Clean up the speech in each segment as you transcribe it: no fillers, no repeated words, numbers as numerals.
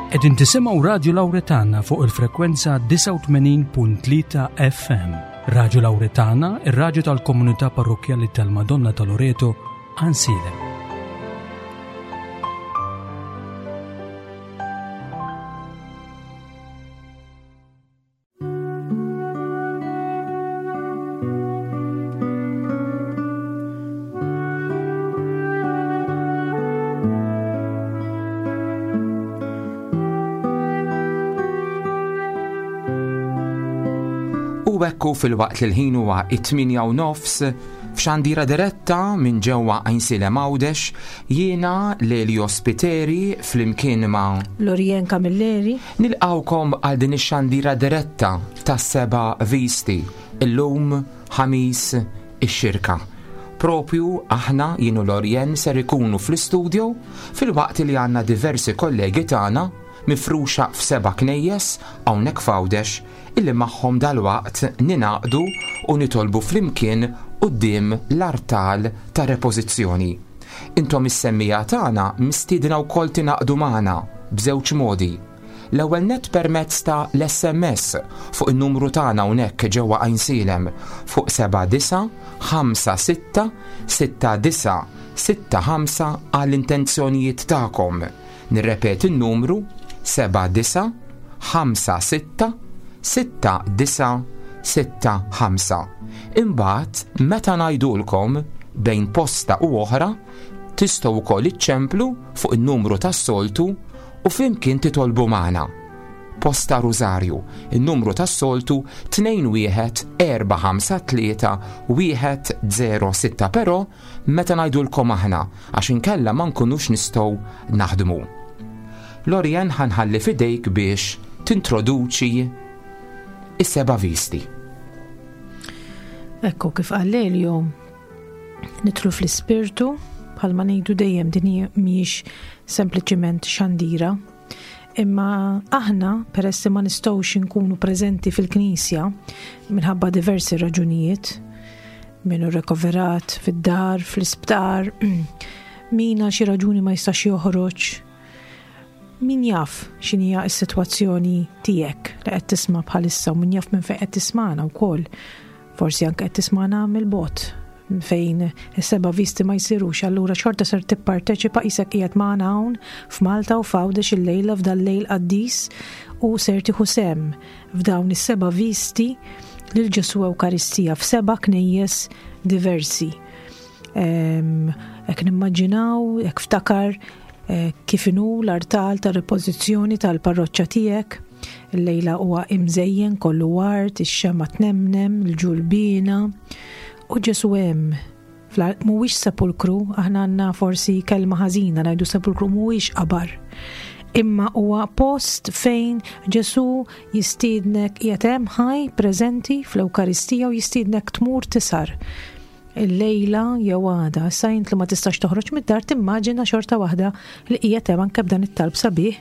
Qegħdin tisimgħu Radju Lawretana fuq il-frekwenza 89.3 FM. Radju Lawretana, ir-radju tal-komunità parrokkjali tal-Madonna ta' Loreto, Għansielem. U hekk hu filwaqt li l-ħin huwa it-8 u nofs f'xandira diretta minn ġewwa Għajnsielem Għawdex jiena Lelio Spiteri flimkien ma' Lorien Camilleri Nilqgħukom għal din ix-xandira diretta tas-seba' visti, illum Ħamis ix-Xirka. Propju aħna jien u Lorien ser ikunu fl-istudio filwaqt li għandna diversi kollegi tagħna mifruxa f'seba' knejjes hawnhekk f'Għawdex illi magħhom dalwaqt ningħaqdu u nitolbu flimkien quddiem l-artal ta' repożizzjoni. Intom is-semmiegħa tagħna mistiedna wkoll tingħaqdu magħna b'żewġ modi. L-ewwel nett permezz ta' l-SMS fuq in-numru tagħna hawnhekk ġewwa Għajnsielem fuq 7956 69 65 għall-intenzjonijiet tagħkom. Nirrepeti n-numru 79 56 69 65. Imbagħad meta ngħidulkom bejn posta u oħra tistgħu wkoll iċċemplu fuq in-numru tas-soltu u flimkien titolbu magħna. Posta Rużarju, in-numru tas-soltu 21453 106 però meta ngħidulkom aħna għax inkella ma nkunux nistgħu naħdmu. Lorien ħa nħalli f'idejk biex tintroduċi is-seba' visti. Ekku kif qal Elio, nidħlu fl-ispirtu bħalma ngħidu dejjem din mhijiex sempliċiment xandira, imma aħna peress li ma nistgħux inkunu preżenti fil-knisja minħabba diversi raġunijiet, min hu rekoverat fid-dar, fl-isptar, min għal xi raġuni ma jistax joħroġ. Min jaf x'inhija s-sitwazzjoni tiegħek li qed tisma' bħalissa u min jaf minn fejn qed tismagħna wkoll. Forsi anke qed tismagħna mill-bot fejn is-seba' visti ma jsirux, allura xorta ser tipparteċipa qisek qiegħed magħna hawn f'Malta u f'Għawdex illejla f'dal-lejl qaddis u ser tieħu sehem f'dawn is-seba' visti lil Ġesu Ewkaristija f'seba' knejjes diversi. Hekk nimmaġinaw, hekk ftakar eh, kif inhu l-artal ta' repożizzjoni tal-parroċċa tiegħek. Il-lejla huwa imżejjen kollu ward, ix-xema tnemnem, il-ġulbina u Ġesu hemm Mhuwiex sepulkru, aħna għandna forsi kelma ħażina ngħidu sepulkru mhuwiex qabar. Imma huwa post fejn Ġesu jistiednek qiegħed hemm ħaj preżenti fl-Ewkaristija u jistiednek tmur tisar il-lejla jew għada. Issa int li ma tistax toħroġ mid-dar timmaġina xorta waħda li qiegħed hemm anke b'dan it-talb sabiħ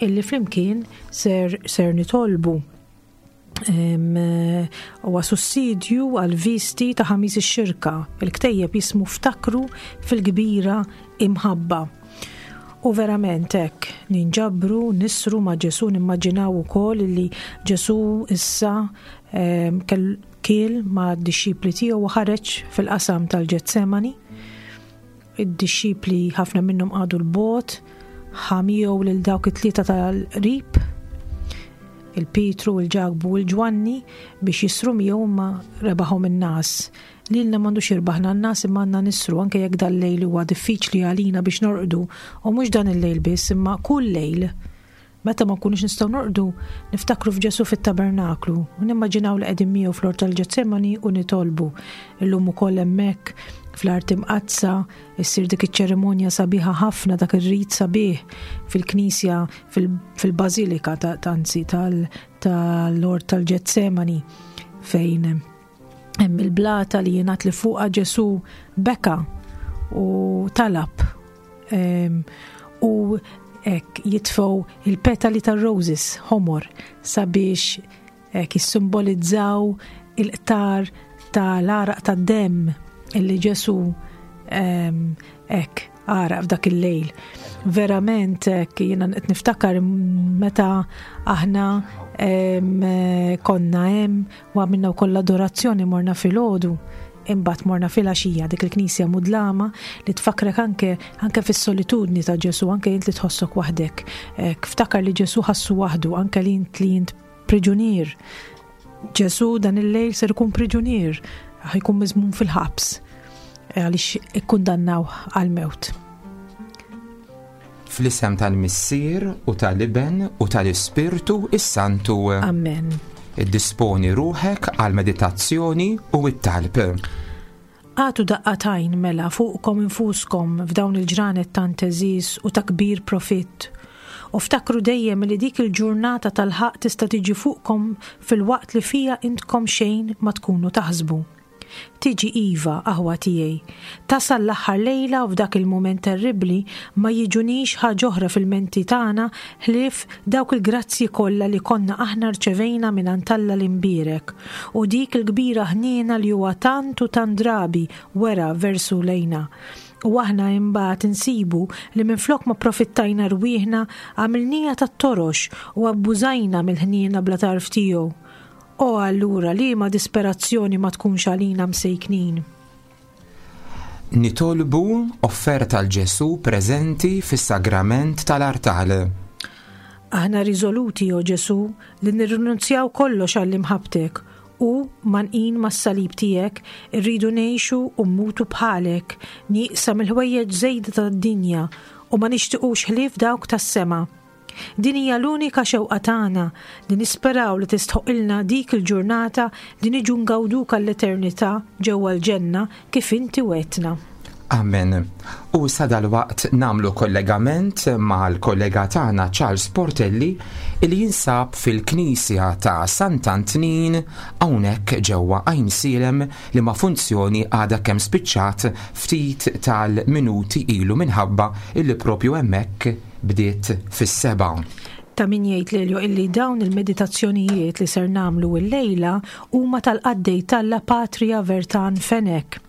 illi flimkien ser, ser nitolbu. Huwa sussidju għal visti ta' ħamis ix-xirka. Il-ktejjeb jismu Ftakru fil-kbira imħabba. U verament hekk ninġabru, nisru ma' Ġesu nimmaġinaw ukoll li Ġesu issa kiel ma' d-dixxipli tiegħu u ħareġ fil-qasam tal-Ġetsemani. Id-dixxipli ħafna minnhom qagħdu 'l bogħod, ħa miegħu lil dawk it-tlieta tal-qrib, il-Pietru, il-Ġakbu u l-Ġwanni biex jisru miegħu imma rebaħhom in-nas. Lilna m'għandux jirbaħna n-nas imma għandna nisru anke jekk dal-lejl huwa diffiċli għalina biex norqdu u mhux dan il-lejl biss imma kull lejl. Meta ma nkunux nistgħu norqdu, niftakru f'Ġesù fit-tabernaklu u nimmaġinaw li qegħdin miegħu fl-ort tal-Ġetsemani u nitolbu. Illum ukoll hemmhekk fl-art imqaddsa issir dik iċ-ċerimonja sabiħa ħafna dak ir-rit sabiħ fil-knisja fil-bażilika ta' anzi tal-ort tal-Ġetsemani fejn hemm il-blata li jingħad li fuqha Ġesù beka u talab u hekk jitfgħu il-petali tar-roses ħomor sabiex hekk jissimbolizzaw il-qtar tal-għaraq tad-demm illi Ġesù hekk. għaraq f'dak il-lejl. Verament hekk jiena qed niftakar meta aħna konna hemm u għamilna wkoll l-adorazzjoni morna filgħodu imbagħad morna filgħaxija dik il-knisja mudlama li tfakrek anke anke fis-solitudni ta' Ġesu, anke int li tħossok waħdek. Ftakar li Ġesu ħassu waħdu, anke li int li int priġunier. Ġesu dan il-lejl ser ikun priġunier, ħajkun miżmum fil-ħabs eh, għaliex ikkundannaw għal-mewt. Fl-isem tal-Missier u tal-Iben u tal-Ispirtu is-Santu. Amen. Iddisponi ruħek għal meditazzjoni u t-talb. Agħtu daqqa t'għajn, mela, fuqkom infuskom f'dawn il-ġranet tant għeżież u ta' kbir profitt, u ftakru dejjem li dik il-ġurnata tal-ħaqq tista' tiġi fuqkom filwaqt li fiha intkom xejn ma tkunu taħsbu. Tiġi iva, aħwa tiegħi. Tasal l-aħħar lejla u f'dak il-mument terribbli ma jiġunix ħaġ'oħra fil-menti tagħna ħlief dawk il-grazzji kollha li konna aħna rċevejna mingħand Alla l-Imbierek, u dik il-kbira ħniena li huwa tant u tant drabi wera versu lejna. U aħna imbagħad insibu li minflok ma pprofittajna rwieħna għamilnieha tat-torox u abbużajna mill-ħniena bla tarf tiegħu. O allura liema disperazzjoni ma tkunx għalina msejknin! Nitolbu offerta 'l Ġesù preżenti fis-Sagrament tal-Artal. Aħna riżoluti, o Ġesù, li nirrinunzjaw kollox għall-imħabbtek u, mgħannqin mas-salib tiegħek, irridu ngħixu u mmutu bħalek, nieqsa mill-ħwejjeġ żejda tad-dinja u ma nixtiqux ħlief dawk tas-sema. Din hija l-unika xewqa tagħna li nisperaw li tistħoqqilna dik il-ġurnata li niġu ngawduk għall-eternità ġewwa l-ġenna kif inti wegħdtna. Amen. U issa dalwaqt nagħmlu kollegament mal-kollega tagħna Charles Portelli li jinsab fil-Knisja ta' Sant'Antnin hawnhekk ġewwa Għajnsielem li ma' funzjoni għadha kemm spiċċat ftit tal-minuti ilu minħabba illi propju hemmhekk bdiet fis-sebgħa. Ta' min jgħid Lelio illi dawn il-meditazzjonijiet li ser nagħmlu illejla huma tal-qaddej t'Alla Patria Vertan Fenech.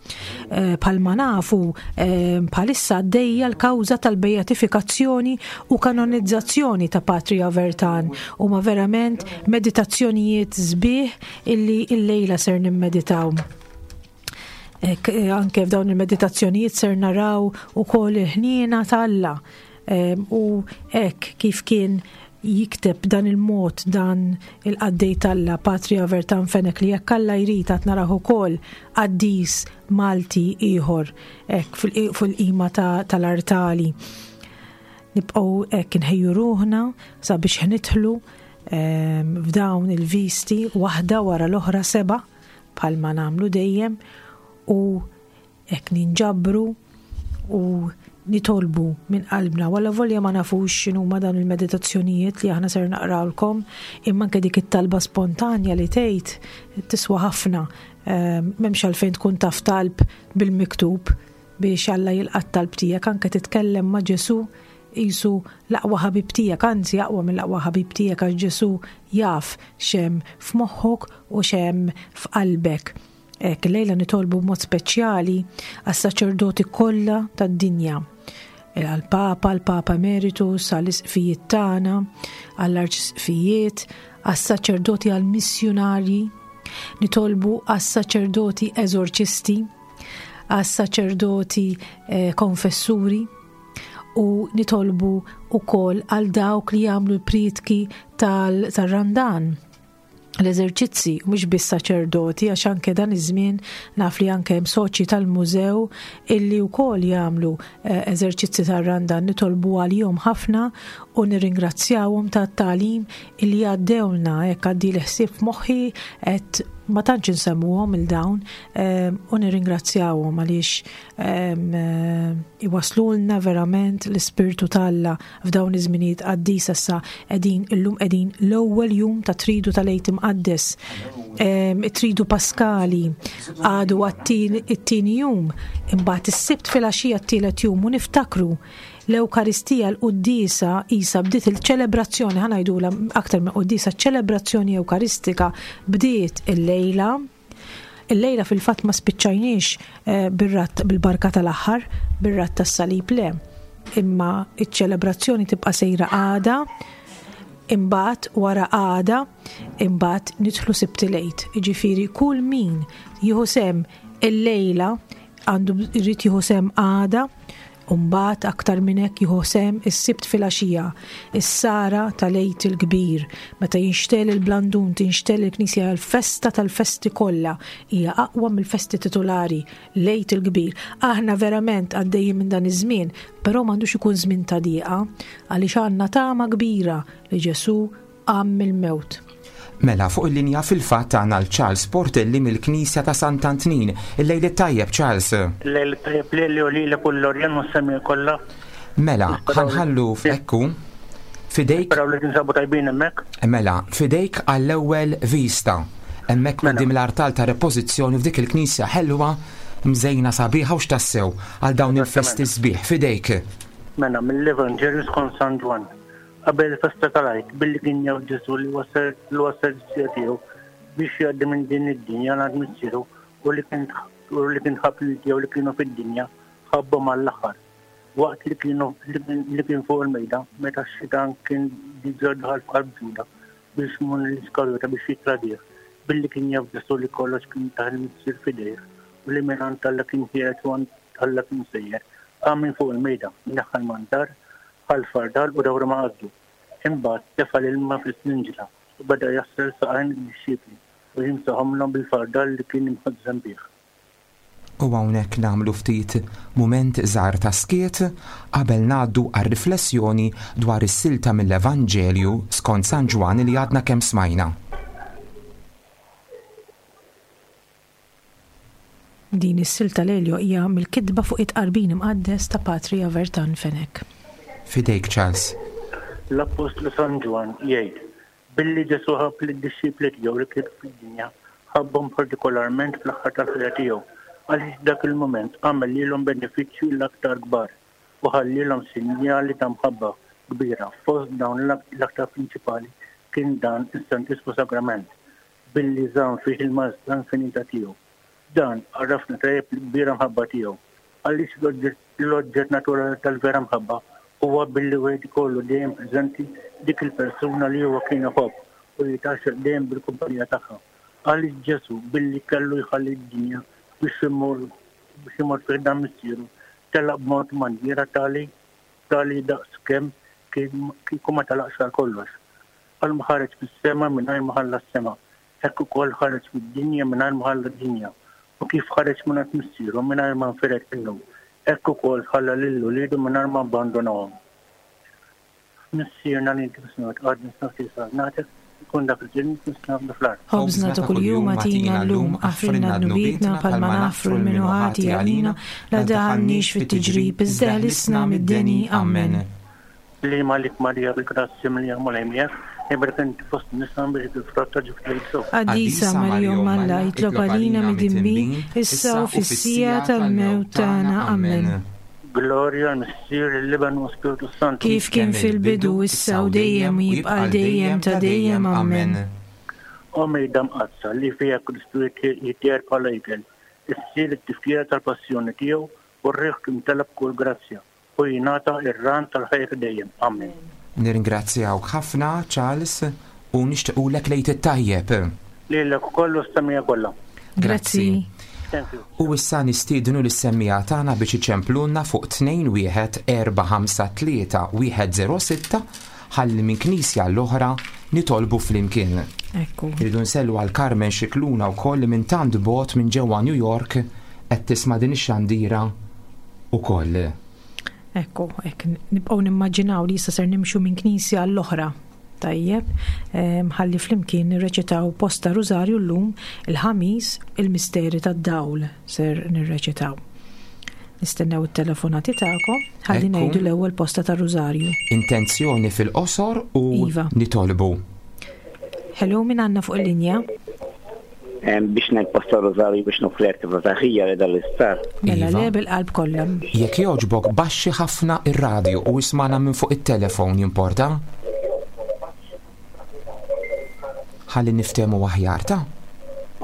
Eh, bħalma nafu eh, bħalissa għaddejja l-kawża tal-beatifikazzjoni u kanonizzazzjoni ta' Patria Vertan huma verament meditazzjonijiet sbieħ illi illejla ser nimmeditaw. Eh, anke f'dawn il-meditazzjonijiet ser naraw ukoll il-ħniena t'Alla u hekk kif kien jikteb dan il-mod dan il-qaddej t'Alla Patria Vertan Fenech li jekk Alla jrid għad naraw ukoll qaddis Malti ieħor hekk fil-qima tal-artali. Nibqgħu hekk inħejju ruħna sabiex nidħlu f'dawn il-visti waħda wara l-oħra seba' bħalma nagħmlu dejjem u hekk ninġabru u nitolbu minn qalbna wala volja ma nafux x'inhuma dawn il-meditazzjonijiet li aħna ser naqrawlkom imma anke dik it-talba spontanja li tgħid tiswa ħafna ehm, m'hemmx għalfejn tkun taf talb bil-miktub biex Alla jilqa' t-talb tiegħek anke titkellem ma' Ġesu qisu l-aqwa ħabib tiegħek, anzi aqwa mill-aqwa ħabib tiegħek għax Ġesu jaf x'hemm f'moħħok u x'hemm f'qalbek. Hekk illejla nitolbu b'mod speċjali għas-saċerdoti kollha tad-dinja għall-Papa, għall-Papa Emeritus, għall-isqfijiet tagħna, għall-arċisqfijiet, għas-saċerdoti għall-missjunarji, nitolbu għas-saċerdoti eżorċisti, għas-saċerdoti eh, konfessuri, u nitolbu wkoll għal dawk li jagħmlu l-prietki tal-Randan l-eżerċizzi, mhux biss saċerdoti, għax anke dan iż-żmien naf li anke hemm soċji tal-mużew illi wkoll jagħmlu eh, eżerċizzi tar-Randan nitolbu għalihom ħafna u nirringrazzjawhom tat-tagħlim illi għaddewlna hekk għaddi l-ħsieb f'moħħi qed ma tantx insemmuhom il dawn eh, u nirringrazzjawhom għaliex Eh, iwaslulna verament l-Ispirtu t'Alla f'dawn iż-żminijiet qaddisa issa qegħdin illum qegħdin l-ewwel jum ta' tridu tal-Għid Imqaddes. It-tridu Paskali għadu għat-tieni jum, imbagħad is-Sibt filgħaxija t-tielet jum u niftakru l-Ewkaristija l-quddiesa isa bdiet il-ċelebrazzjoni ħa ngħidulha aktar minn quddiesa ċelebrazzjoni Ewkaristika bdiet illejla. Illejla fil-fatt ma spiċċajniex eh, bir-ratt bil-barka tal-aħħar, bir-ratt tas-salib le. Imma iċ-ċelebrazzjoni tibqa' sejra għada, imbagħad wara għada, imbagħad nidħlu Sibt il-Għid. Jiġifieri kull min jieħu sehem illejla għandu jrid jieħu sehem għada, u mbagħad aktar minn hekk jieħu sehem is-Sibt filgħaxija, is-sara tal-Għid il-Kbir, meta jinxtegħel il-blandun, tinxtegħel il-Knisja hija l-festa tal-festi kollha, hija aqwa mill-festi titulari, l-Għid il-Kbir. Aħna verament għaddejjin minn dan iż-żmien, però m'għandux ikun żmien ta' dieqa, għaliex għandna tama kbira li Ġesù qam mill-mewt. Mela, fuq il-linja fil-fatt għandna l Charles Portelli mill-Knisja ta' Sant'Antnin. Il-lejl it-tajjeb, Charles. Il-lejl it-tajjeb lili u lilek u l-Lorjan u s-semmiegħa kollha. Mela, ħa nħallu f'ekku, f'idejk. Nisperaw li tinsabu tajbin hemmhekk. Mela, f'idejk għall-ewwel vista. Hemmhekk mela. quddiem l-artal ta' repożizzjoni f'dik il-knisja ħelwa mżejna sabiħa u x'tassew għal dawn il-festi sbieħ f'idejk. Mela, mill-Evanġelju skont San Ġwann. Qabel il-festa tal-Għid, billi kien jaf Ġesù li wasal li wasal is-siegħa tiegħu biex jgħaddi minn din id-dinja għal għand Missieru u li kien u li kien ħabb lil tiegħu li kienu fid-dinja, ħabbhom għall-aħħar. Waqt li kienu li kien fuq il-mejda, meta x-xitan kien diġà daħal f'qalb Ġuda biex Xmun l-Iskarjota biex jittradih, billi kien jaf Ġesù li kollox kien tah il-Missier f'idejh u li mingħand Alla kien ħiereġ u għand Alla kien sejjer, qam minn fuq il-mejda, neħħa l-mantar, Ħa l-fardal u dawru ma' qaddu. Imbagħad tefa' l-ilma fl-isninġla u beda jaħsel saqajn id-dixxipli u jimsaħhomlhom bil-fardal li kien imħażżem bih. U hawnhekk nagħmlu ftit mument żgħar ta' skiet qabel ngħaddu għar-riflessjoni dwar is-silta mill-Evanġelju skont San Ġwann li għadna kemm smajna. Din is-silta Lelio hija mill-kitba fuq it-Tqarbin Imqaddes ta' Patri Avertan Fenech. F'idejk Charles. L-Appostlu San Ġwann jgħid, Billi Ġesù ħabb lid-dixxipli tiegħu li kienu fid-dinja, ħabbhom partikolarment fl-aħħar tal-ħajja tiegħu, għaliex f'dak il-mument għamel lilhom benefiċċji l-aktar kbar u ħallielhom sinjali ta' mħabba kbira, fost dawn l-aktar prinċipali kien dan is-Santissmu Sagrament, billi żamm fih il-maestà infinita tiegħu. Dan għarrafna tajjeb l-kbira mħabba tiegħu. Għaliex l-oġġett naturali tal-vera mħabba huwa billi wieħed ikollu dejjem preżenti dik il-persuna li huwa kien iħobb u jitgħaxxaq dejjem bil-kumpanija tagħha. Għaliex Ġesù, billi kellu jħalli d-dinja biex imur biex imur fi ħdan Missieru, telaq b'mod manjiera tali tali daqs kemm kieku ma telaqx għal kollox. Bħalma ħareġ mis-sema mingħajr ma ħalla s-sema, hekk ukoll ħareġ mid-dinja mingħajr ma ħalla d-dinja. U kif ħareġ mingħand Missieru mingħajr ma nfired minnu, hekk ukoll ħalla lil uliedu mingħajr ma abbandunahom. Missierna li inti fis-smewwiet, qaddis nafsi saltnatek, ikun dak li trid int fis-sema fl-art. Ħobżna ta' kuljum agħtina llum, aħfrilna dnubietna bħalma naħfru 'l min hu ħati għalina, la ddaħħalniex fit-tiġrib, iżda eħlisna mid-deni. Ammen. Liema għalik Marija bil-grazzja mimlija l-Mulej miegħek, imberka inti fost in-nisa u mbierek il-frott ta' ġuf tiegħek Ġesù. Qaddisa Marija Omm Alla, itlob għalina midinbin, issa u fis-siegħa tal-mewt tagħna. Ammen. Glorja għall-Missier, lill-Iben u Spirtu s-Santu. Kif kien fil-bidu, issa u dejjem u jibqa' għal dejjem ta' dejjem. Ammen. O Mejda Mqaddsa, li fiha Kristu jitqiegħed bħala ikel, issir it-tifkira tal-passjoni tiegħu u r-riħ timtela b'kull grazzja. u jingħata r-ran tal-ħajja ta' dejjem. Amen. Nirringrazzjawk ħafna Charles u nixtiqulek l-Għid it-tajjeb. Lilek ukoll u s-semmiegħa kollha. Grazzi. Thank you. U issa nistiednu lis-semmiegħa tagħna biex iċemplulna fuq 21 453 106 ħalli minn knisja għall-oħra nitolbu flimkien. Ekku. Irridu nsellu għal Carmen Scicluna wkoll li minn tant bogħod minn ġewwa New York qed tisma' din ix-xandira ukoll. Ekku, hekk nibqgħu nimmaġinaw li issa ser nimxu minn knisja għall-oħra. Tajjeb, ħalli flimkien nirreċitaw posta Rużarju llum il-Ħamis il-Misteri tad-Dawl ser nirreċitaw. Nistennew it-telefonati tagħkom ħalli ngħidu l-ewwel posta ta' Rużarju. Intenzjoni fil-qosor u iva. nitolbu. Hello, min għandna fuq il-linja? Biex ngħid posta Rużarju biex nofri attività ta' ħija li dal-isptar. Mela iva. le bil-qalb kollha. Jekk jogħġbok baxxi ħafna ir-radju u ismana minn fuq it-telefon jimporta. Ħalli niftehmu aħjar ta'.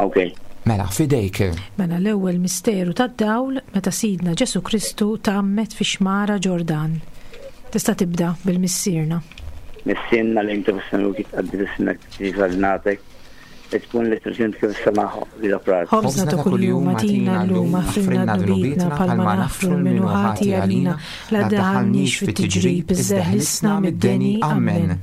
Ok. Mela, f'idejk. Mela l-ewwel misteru tad-dawl meta Sidna Ġesù Kristu tgħammed fix-xmara Ġordan. Tista' tibda bil-Missierna. Missierna li inti fis-smewwiet jitqaddes ismek, tiġi saltnatek, tkun li trid int kif is-sema li l-operat. Ħobżna ta' kuljum agħtina llum, aħfrilna dnubietna bħalma naħfru 'l min hu ħati għalina, la ddaħħalniex fit-tiġrib, iżda eħlisna mid-deni. Ammen.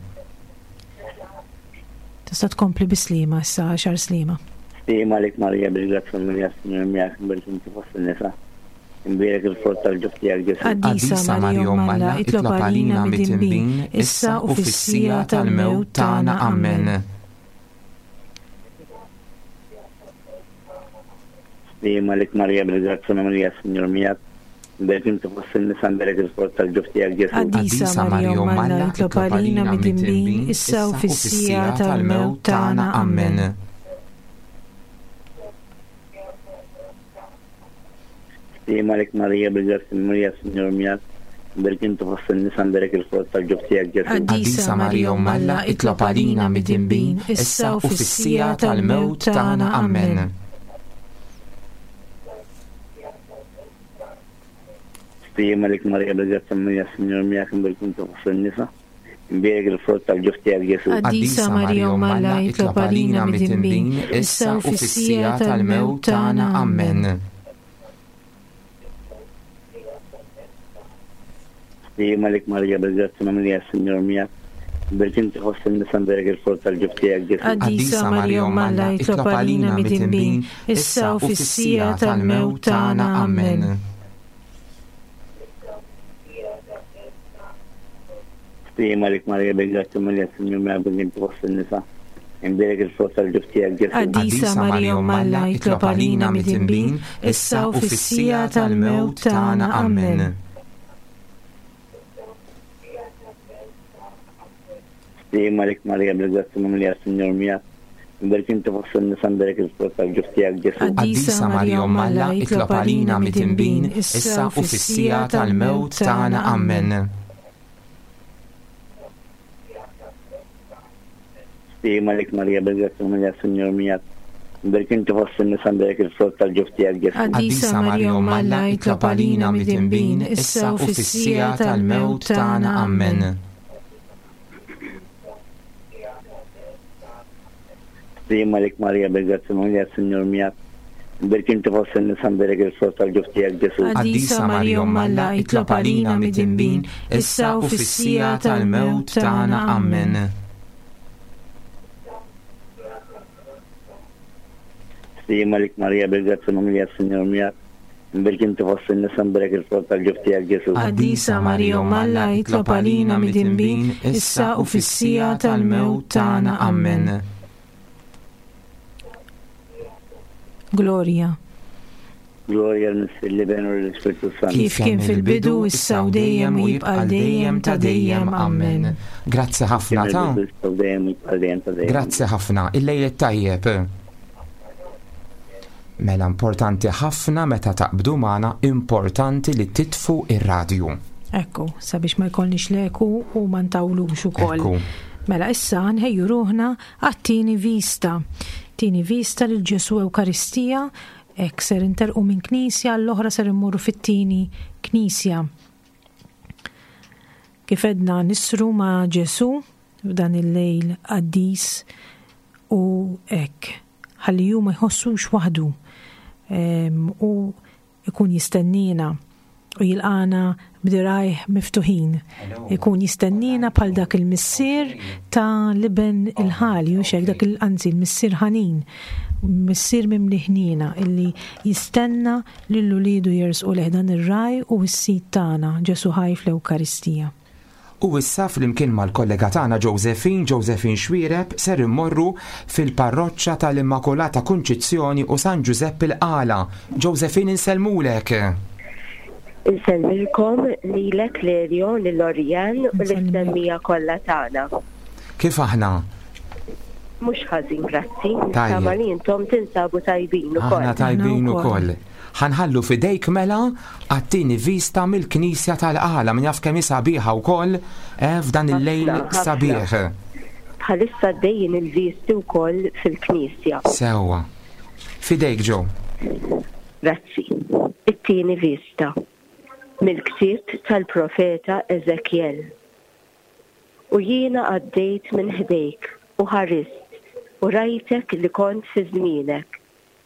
Tista' tkompli bi Sliema issa għal xahar Sliema. Sliema għalik Marija bil-grazzja mimlija s-Sinjur miegħek imbierek inti fost in-nisa. Imbierek il-frott tal-ġuf tiegħek Ġesù. Qaddisa Marija Omm Alla, itlob għalina midinbin, issa u fis-siegħa tal-mewt tagħna. Ammen. Sliema għalik Marija bil-grazzja mimlija s-Sinjur miegħek, imbierek inti fost in-nisa imbierek il-frott tal-ġuf tiegħek Ġesù. Qaddisa Marija Omm Alla, itlob għalina midinbin, issa u fis-siegħa tal-mewt tagħna. Ammen. Sliema għalik Marija bil-grazzja mimlija s-Sinjur miegħek, imbierek inti fost in-nisa imbierek il-frott tal-ġuf tiegħek Ġesù. Qaddisa Marija Omm Alla, itlob għalina midinbin, issa u fis-siegħa tal-mewt tagħna. Ammen. Sliema għalik Marija bil-grazzja mimlija s-Sinjur miegħek imbierek inti fost in-nisa imbierek il-frott tal-ġuf tiegħek Ġesù. Qaddisa Marija Omm Alla, itlob għalina midinbin, issa u fis-siegħa tal-mewt tagħna. Ammen. Sliema għalik Marija bil-grazzja mimlija s-Sinjur miegħek, imbierek inti fost in-nisa imbierek il-frott tal-ġuf tiegħek Ġesù. Qaddisa Marija Omm Alla, itlob għalina midinbin, issa u fis-siegħa tal-mewt tagħna. Ammen. Sliema għalik Marija bil-grazzja mimlija s-Sinjur miegħek bil inti fost in-nisa. Imbierek il-frott tal-ġuf tiegħek Ġesù. Qaddisa Marija Omm Alla, itlob għalina midinbin, issa u fis-siegħa tal-mewt tagħna. Ammen. Sliema għalik Marija bil-grazzja mimlija s-Sinjur miegħek. Imbierek inti fost in-nisa imbierek il-frott tal-ġuf tiegħek Ġesù. Qaddisa Marija Omm Alla, itlob għalina midinbin, issa u fis-siegħa tal-mewt tagħna. Ammen. Sliema għalik Marija bil-grazzja mimlija s-Sinjur miegħek. Imbierek inti fost in-nisa imbierek il-frott tal-ġuf tiegħek Ġesù. Qaddisa Marija Omm Alla, itlob għalina midinbin, issa u fis-siegħa tal-mewt tagħna. Ammen. Sliema għalik Marija bil-grazzja mimlija s-Sinjur miegħek. Imbierek inti fost in-nisa imbierek il-frott tal-ġuf tiegħek Ġesù. Qaddisa Marija Omm Alla, itlob għalina midinbin, issa u fis-siegħa tal-mewt tagħna. Ammen. Sliema għalik Marija bil-grazzja mimlija s-Sinjur miegħek. Imbierek inti fost in-nisa imbierek il-frott tal-ġuf tiegħek Ġesù. Qaddisa Marija Omm Alla, itlob għalina midinbin, issa u fis-siegħa tal-mewt tagħna. Ammen. Glorja. Glorja l-Missier l-Iben u l-Ispirtu Santu. Kif kien fil-bidu, issa u dejjem u jibqa' għal dejjem ta' dejjem. Ammen. Grazzi ħafna ta' Issa u dejjem u jibqa' għal dejjem ta' dejjem. Grazzi ħafna. Il-lejl it-tajjeb. Mela importanti ħafna meta taqbdu magħna importanti li titfu ir-radju. Ekku, sabiex ma jkollniex leku u ma ntawlux ukoll. Ekku. Mela issa nħejju ruħna għat-tieni vista. Tieni vista lil Ġesu Ewkaristija, hekk ser interqu minn knisja l-oħra ser immorru fit-tieni knisja. Kif edna nisru ma' Ġesu f'dan il-lejl qaddis u hekk ħalli hu ma jħossux waħdu u ikun jistennina u jilqana b'dirajh miftuħin. Ikun jistennina bħal dak il-missier ta' liben il-ħali, u xek dak il-anzi il-missier ħanin, missier mimli ħnina illi jistenna lil ulidu jersqu lejh dan ir-raj u s-sid tagħna Ġesu ħaj fl-Ewkaristija. U issa flimkien mal-kollega tagħna Josephine, Josephine Xuereb, ser immorru fil-parroċċa tal-Immakulata Kunċizzjoni u San Ġużepp il-Qala. Josephine insellmulek! Insellmilkom lilek Lelio, lil Orianne u lis-semmiegħa kollha tagħna. Kif aħna? Mhux ħażin grazzi. Nittama li intom tinsabu tajbin ukoll. Aħna tajbin ukoll. Ħa nħallu f'idejk mela għat-tieni vista mill-Knisja tal-Qala, min jaf kemm hi sabiħa wkoll eh, f'dan il-lejl sabiħ. Bħalissa għaddejjin il-visti wkoll fil-Knisja. Sewwa. F'idejk Jo. Grazzi. It-tieni vista. Mill-ktieb tal-profeta Eżekjel. U jiena għaddejt minn ħdejk u ħarist u rajtek li kont fi żmienek,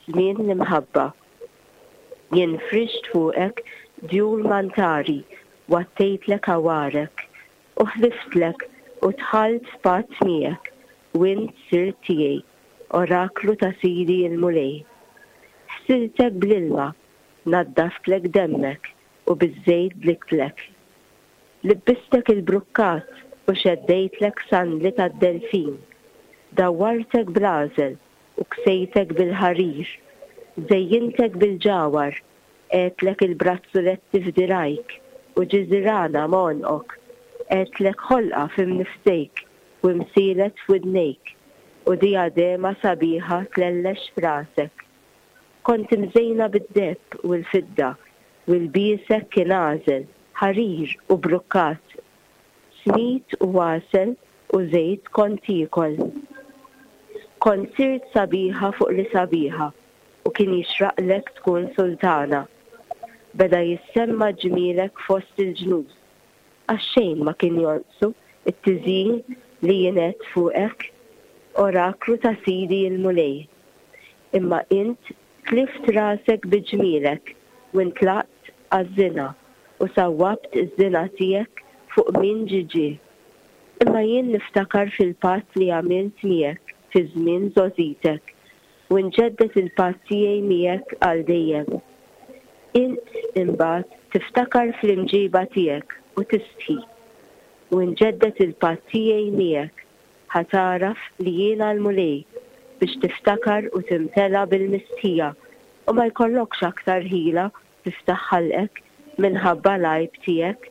żmien l-imħabba. Jien frixt fuqek djul mantari, għattejtlek għawarek, u ħliftlek u dħalt f'patt miegħek, u int sirt tiegħi, oraklu ta' Sidi l-Mulej. Ħsiltek bl-ilma, naddaftlek demmek, u biż-żejt dliktlek. Libbistek il-brukkat u xeddejtlek sandli tad-delfin. Dawwartek bl-għażel u ksejtek bil-ħarir. Żejjintek bil-ġawhar, qegħedtlek il-brazzuletti f'dirgħajk u ġiżirana m'għonqok. Qegħedtlek ħolqa f'imnifsejk u imsielet f'widnejk u dijadema sabiħa tlellex f'rasek. Kont imżejna bid-deheb u l-fidda, u lbiesek kien għażel, ħarir u brukkat. Smid u għasel u żejt kont tiekol. Kont sirt sabiħa fuq li sabiħa, u kien jixraqlek tkun sultana. Beda jissemma ġmielek fost il-ġnus, għax xejn ma kien jonqsu t-tiżjin li jien għedt fuqek, oraklu ta' Sidi l-Mulej. Imma int tlift rasek bi ġmielek u ntlaqt għaż-żina u sawwabt iż-żina tiegħek fuq min ġie ġie. Imma jien niftakar fil-patt li għamilt miegħek fi żmien żgħożitek u nġedded il-patt tiegħi miegħek għal dejjem. Int, imbagħad, tiftakar fl-imġiba tiegħek u tistħi, u nġedded il-patt tiegħi miegħek Ħa tagħraf li jiena l-Mulej, biex tiftakar u timtela bil-mistħija, u ma jkollokx aktar ħila tiftaħ ħalqek minħabba l-għajb tiegħek,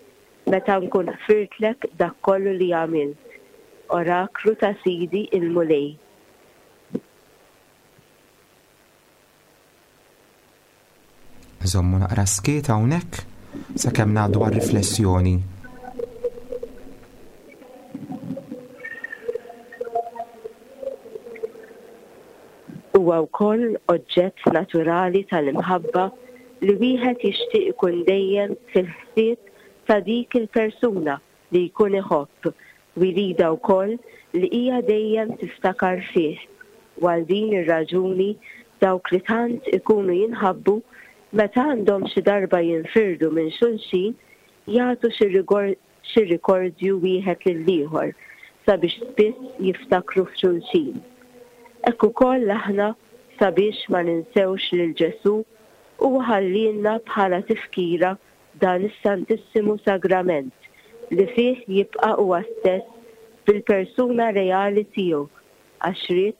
meta nkun ħfirtlek dak kollu li għamilt. Oraklu ta' Sidi l-Mulej. Żommu naqra skiet hawnhekk sakemm ngħaddu għar-riflessjoni. Huwa wkoll oġġett naturali tal-imħabba li wieħed jixtieq ikun dejjem fil-ħsieb ta' dik il-persuna li jkun iħobb u jridha wkoll li hija dejjem tiftakar fih u għal din ir-raġuni dawk li tant ikunu jinħabbu meta għandhom xi darba jinfirdu minn xulxin jagħtu xi rikordju wieħed lill-ieħor sabiex spiss jiftakru f'xulxin. Hekk ukoll aħna sabiex ma ninsewx lil Ġesù huwa ħallielna bħala tifkira dan is-Santissimu Sagrament, li fih jibqa' huwa stess bil-persuna reali tiegħu, għax ried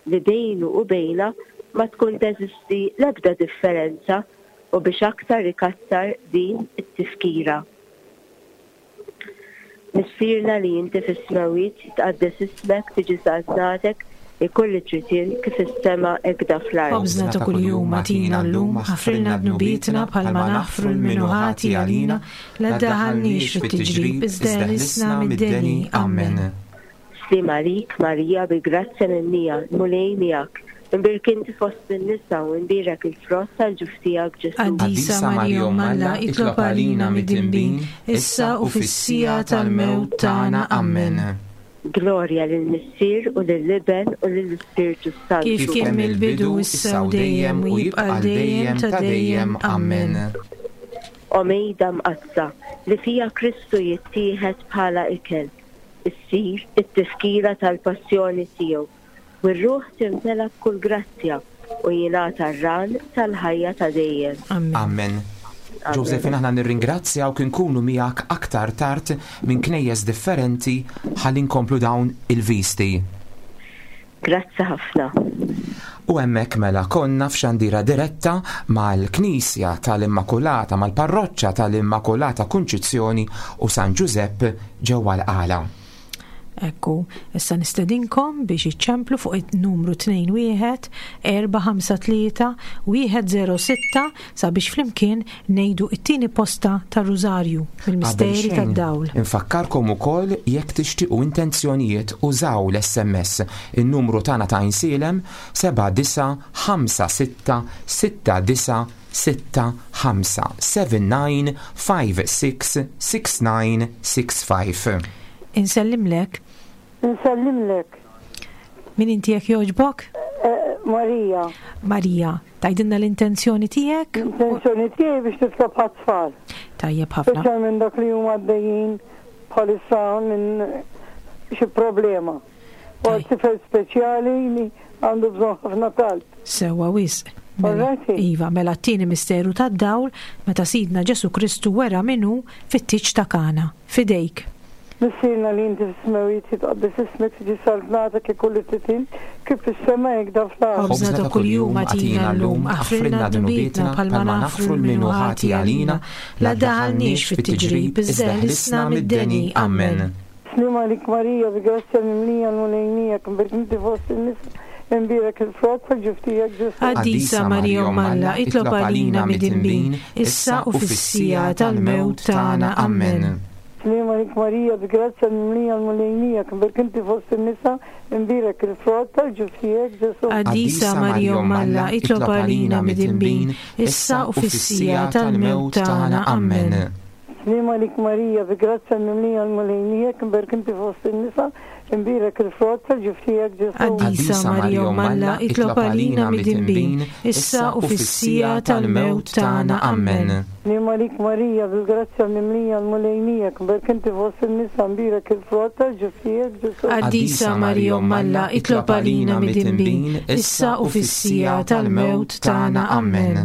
li bejnu u bejna ma tkun teżisti l-ebda differenza u biex aktar ikattar din it-tifkira. Missierna li inti fis-smewwiet, jitqaddes ismek, tiġi saltnatek, ikun li trid int kif fis-sema hekk fl-art. Ħobżna ta' kuljum agħtina llum, aħfrilna dnubietna bħalma naħfru 'l min hu ħati għalina, la ddaħħalniex fit-tiġrib, iżda eħlisna mid-deni. Ammen. Sliem għalik, Marija, bi grazzja mimlija, l-Mulej miegħek. Imbierk inti fost in-nisa u imbierek il-frott tal-ġuf tiegħek, Ġesù. Qaddisa Marija Omm Alla, itlob għalina midinbin, issa u fis-siegħa tal-mewt tagħna. Ammen. Glorja lill-Missier u lill-Iben u lill-Ispirtu s-Santu. Kif kien mill-bidu, issa u dejjem, u jibqa' għal dejjem ta' dejjem. Ammen. O Mejda Mqaddsa, li fiha Kristu jittieħed bħala ikel, issir it-tifkira tal-passjoni tiegħu, u r-ruħ timtela b'kull grazzja u jingħata r-ran tal-ħajja ta' dejjem. Ammen. Josephine aħna nirringrazzjawk inkunu miegħek aktar tard minn knejjes differenti ħalli nkomplu dawn il-visti. Grazzi ħafna. U hemmhekk mela konna f'xandira diretta mal-Knisja tal-Immakulata, mal-Parroċċa tal-Immakulata Kunċizzjoni u San Ġużepp ġewwa l-Qala. Ekku, issa nistedinkom biex iċċemplu fuq it-numru 21 453 106 sabiex flimkien ngħidu it-tieni posta tar-Rużarju mill-Misteri tad-Dawl. Infakkarkom ukoll jekk tixtiequ intenzjonijiet użaw l-SMS in-numru tagħna ta' Għajnsielem 7956 69 65 79 56 69 65. Insellimlek. Insellimlek. Min inti jekk jogħġbok? Eh, Marija. Marija, tgħidilna l-intenzjoni tiegħek? L-intenzjoni tiegħi biex titlob għat-tfal. Tajjeb ħafna. Speċjalment dak li huma għaddejjin bħalissa minn xi problema. U għal tifel speċjali li għandu bżonn ħafna talb. Sewwa wisq. Mela, iva, mela t-tieni misteru tad-dawl meta Sidna Ġesu Kristu wera min hu fit-tieġ ta' Kana. F'idejk. Missierna li inti fis-smewwiet jitqaddes ismek, tiġi saltnatek, ikun li trid int, kif fis-sema hekk dan fl-art. Ħobżna ta' kuljum agħtina llum, aħfrilna dnubietna bħalma naħfru 'l min hu ħati għalina, la ddaħħalniex fit-tiġrib, iżda eħlisna mid-deni. Ammen. Sliem għalik Marija, bi grazzja mimlija l-Mulej miegħek, imbierek inti fost in-nisa, imbierek il-frott tal-ġuf tiegħek Ġesù. Qaddisa Marija Omm Alla, itlob għalina midinbin, issa u fis-siegħa tal-mewt tagħna. Ammen. Sliem għalik Marija, bi grazzja mimlija l-Mulej miegħek, imbierek inti fost in-nisa, imbierek il-frott tal-ġuf tiegħek Ġesù. Qaddisa Marija Omm Alla, itlob għalina midinbin, issa u fis-siegħa tal-mewt tagħna. Ammen. Sliem għalik Marija, bi grazzja mimlija l-Mulej miegħek, imbierek inti fost in-nisa, imbierek il-frott tal-ġuf tiegħek Ġesù. Qaddisa Marija Omm Alla, itlob għalina midinbin, issa u fis-siegħa tal-mewt tagħna. Ammen. Sliem għalik Marija, bil-grazzja mimlija l-Mulej miegħek, imbierek inti fost in-nisa, imbierek il-frott tal-ġuf tiegħek Ġesù. Qaddisa Marija Omm Alla, itlob għalina midinbin, issa u fis-siegħa tal-mewt tagħna. Ammen.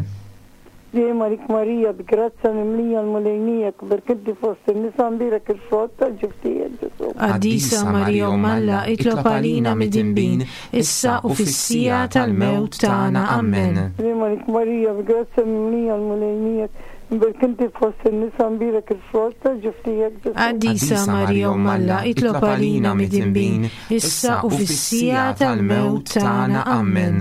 Dejjem għalik Marija, bi grazzja mimlija l-Mulej miegħek, imbierek inti fost in-nisa, imbierek il-frott tal-ġuf tiegħek, Ġesù. Qaddisa Marija Omm Alla, itlob għalina midinbin, issa u fis-siegħa tal-mewt tagħna. Ammen. Dejjem għalik Marija, bi grazzja mimlija l-Mulej miegħek, imbierek inti fost in-nisa, imbierek il-frott tal-ġuf tiegħek, Ġesù. Qaddisa Marija Omm Alla, itlob għalina midinbin, issa u fis-siegħa tal-mewt tagħna. Ammen.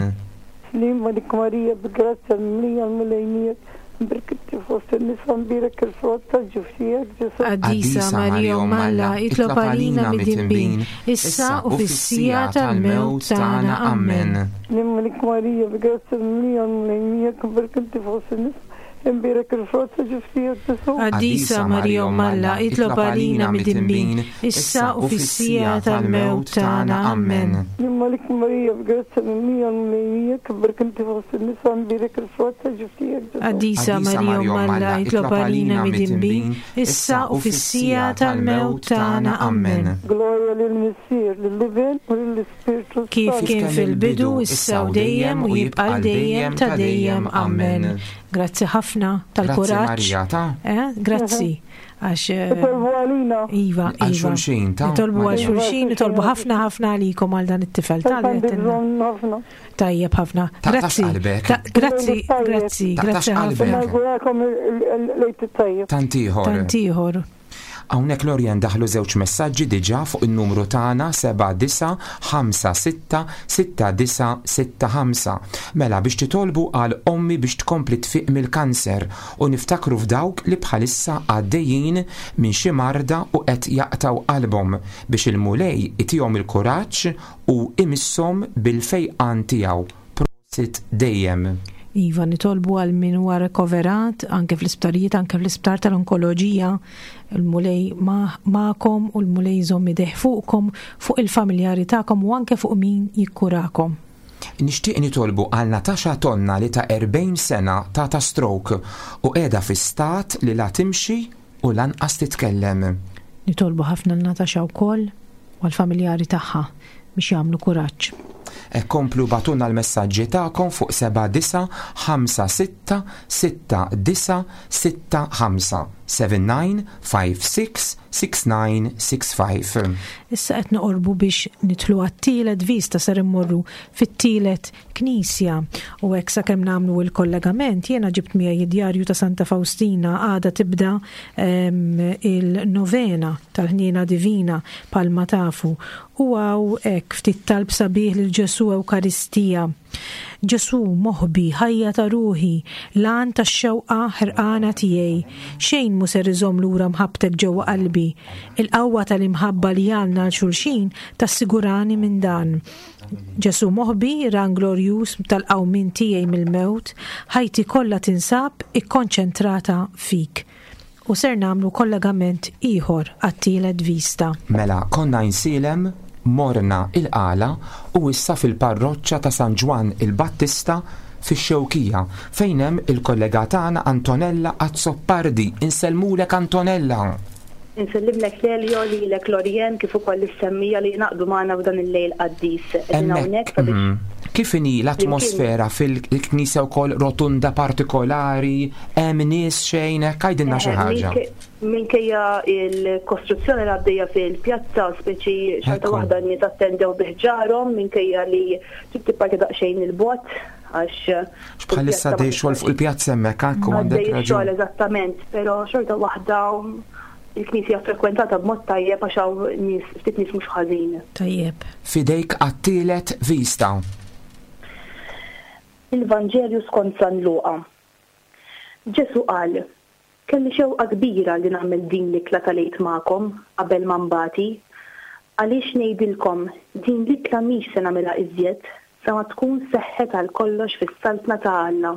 Sliem għalik Marija, bi grazzja mimlija l-Mulej miegħek, imbierek inti fost in-nisa, imbierek il-frott tal-ġuf tiegħek, Ġesù. Qaddisa Marija Omm Alla, itlob għalina midinbin, issa u fis-siegħa tal-mewt tagħna. Ammen. Sliem għalik Marija, bi grazzja mimlija l-Mulej miegħek, imbierek inti fost in-nisa, imbierek il-frott tal-ġuf tiegħek, Ġesù. Qaddisa Marija Omm Alla, itlob għalina midinbin, issa u fis-siegħa tal-mewt tagħna. Ammen. Sliem għalik Marija, bi grazzja mimlija l-Mulej miegħek, imbierek inti fost in-nisa, imbierek il-frott tal-ġuf tiegħek, Ġesù. Qaddisa Marija Omm Alla, itlob għalina midinbin, issa u fis-siegħa tal-mewt tagħna. Ammen. Glorja lill-Missier, lill-Iben u lill-Ispirtu Kif s-Santu. kien fil-bidu, issa u dejjem, u jibqa' għal dejjem ta' dejjem. Ammen. Grazzi ħafna tal-kuraġġ. Grazzi Marija, ta' Eh, grazzi. Għax. Eh, Itolbu għalina. Iva, Għal iva. xulxin, ta' Itolbu għal Marija. xulxin, itolbu ħafna ħafna għalikom għal dan it-tifel Għandi tal-għetinna. bżonn ħafna. Tajjeb ħafna. Taqtax Grazzi. qalbek. Ta- Grazzi, Tajjeb. grazzi, Taqtax grazzi ħafna. qalbek. Nawgurakom il-lejt it-tajjeb. Tant ieħor. Tant ieħor. Hawnhekk Lorien daħlu żewġ messaġġi diġà fuq in-numru tagħna 79566965. Mela biex titolbu għal ommi biex tkompli tfiq mill-kanser u niftakru f'dawk li bħalissa għaddejjin minn xi marda u qed jaqtaw qalbhom biex il-Mulej itihom il-kuraġġ u imisshom bil-fejqan tiegħu. Prosit dejjem. Iva, nitolbu għal min huwa rekoverat anke fl-isptarijiet, anke fl-isptar tal-onkoloġija, il-Mulej magħkom u l-Mulej jżomm idejh fuqkom, fuq il-familjari tagħkom u anke fuq min jikkurakom. Nixtieq nitolbu għal Natasha Tonna li ta' 40 sena tata stroke u qiegħda fi stat li la timxi u lanqas titkellem. Nitolbu ħafna l Natasha wkoll u għall-familjari tagħha biex jagħmlu kuraġġ. E komplu batunna l-messaġġi tagħkom fuq 79566965. 79 56 69 65. Issa qed noqorbu biex nidħlu għat-tielet vista ser immorru fit-tielet knisja u hekk sakemm nagħmlu l-kollegament jiena ġibt miegħi id-djarju ta' Santa Faustina għada tibda ehm, il-novena tal-ħniena divina palma tafu u hawn hekk ftit talb sabiħ lil Ġesu Ewkaristija. Ġesù, moħbi, ħajja ta' ruħi, l-għan tax-xewqa ħerqana tiegħi, xejn mhu ser iżomm lura mħabbtek ġewwa qalbi. Il-qawwa tal-imħabba li għandna għal xulxin tassigurani minn dan. Ġesù moħbi, ran glorjuż tal-qawmien tiegħi mill-mewt, ħajti kollha tinsab ikkonċentrata fik. U ser nagħmlu kollegament ieħor għat-tielet vista. Mela konna Għajnsielem, morna il-Qala u issa fil-parroċċa ta' San Ġwann il-Battista fix-Xewkija fejn hemm il-kollega tagħna Antonella Azzopardi. Insellmulek Antonella! Insellimlek Lelio, lilek Lorien, kif ukoll lis-semmiegħa li jingħaqdu magħna f'dan il-lejl qaddis. Qegħdin hawnhekk sabiex mhm. Kif inhi l-atmosfera fil-knisja wkoll rotunda partikolari, hemm nies xejn hekk għidilna xi eh, ħaġa. Minkejja il-kostruzzjoni li għaddejja fil-pjazza, speċi xorta waħda n-nies attendew bi ħġarhom minkejja li trid tibqa' daqsxejn il-bogħod għax. Bħalissa għaddej xogħol fuq il-pjazza hemmhekk hekk u għandek raġun. Għaddej xogħol eżattament, però xorta waħda il-knisja frekwentata b'mod tajjeb għax hawn nies ftit nies mhux ħażin. Tajjeb. F'idejk għat-tielet vista. Il-Vanġelju skont San Luqa. Ġesù qal, Kelli xewqa kbira li nagħmel din l-ikla tal-Għid magħkom qabel ma nbati. Għaliex ngħidilkom, din l-ikla mhix se nagħmilha iżjed sa ma tkun seħħet għal kollox fis-Saltna ta' Alla.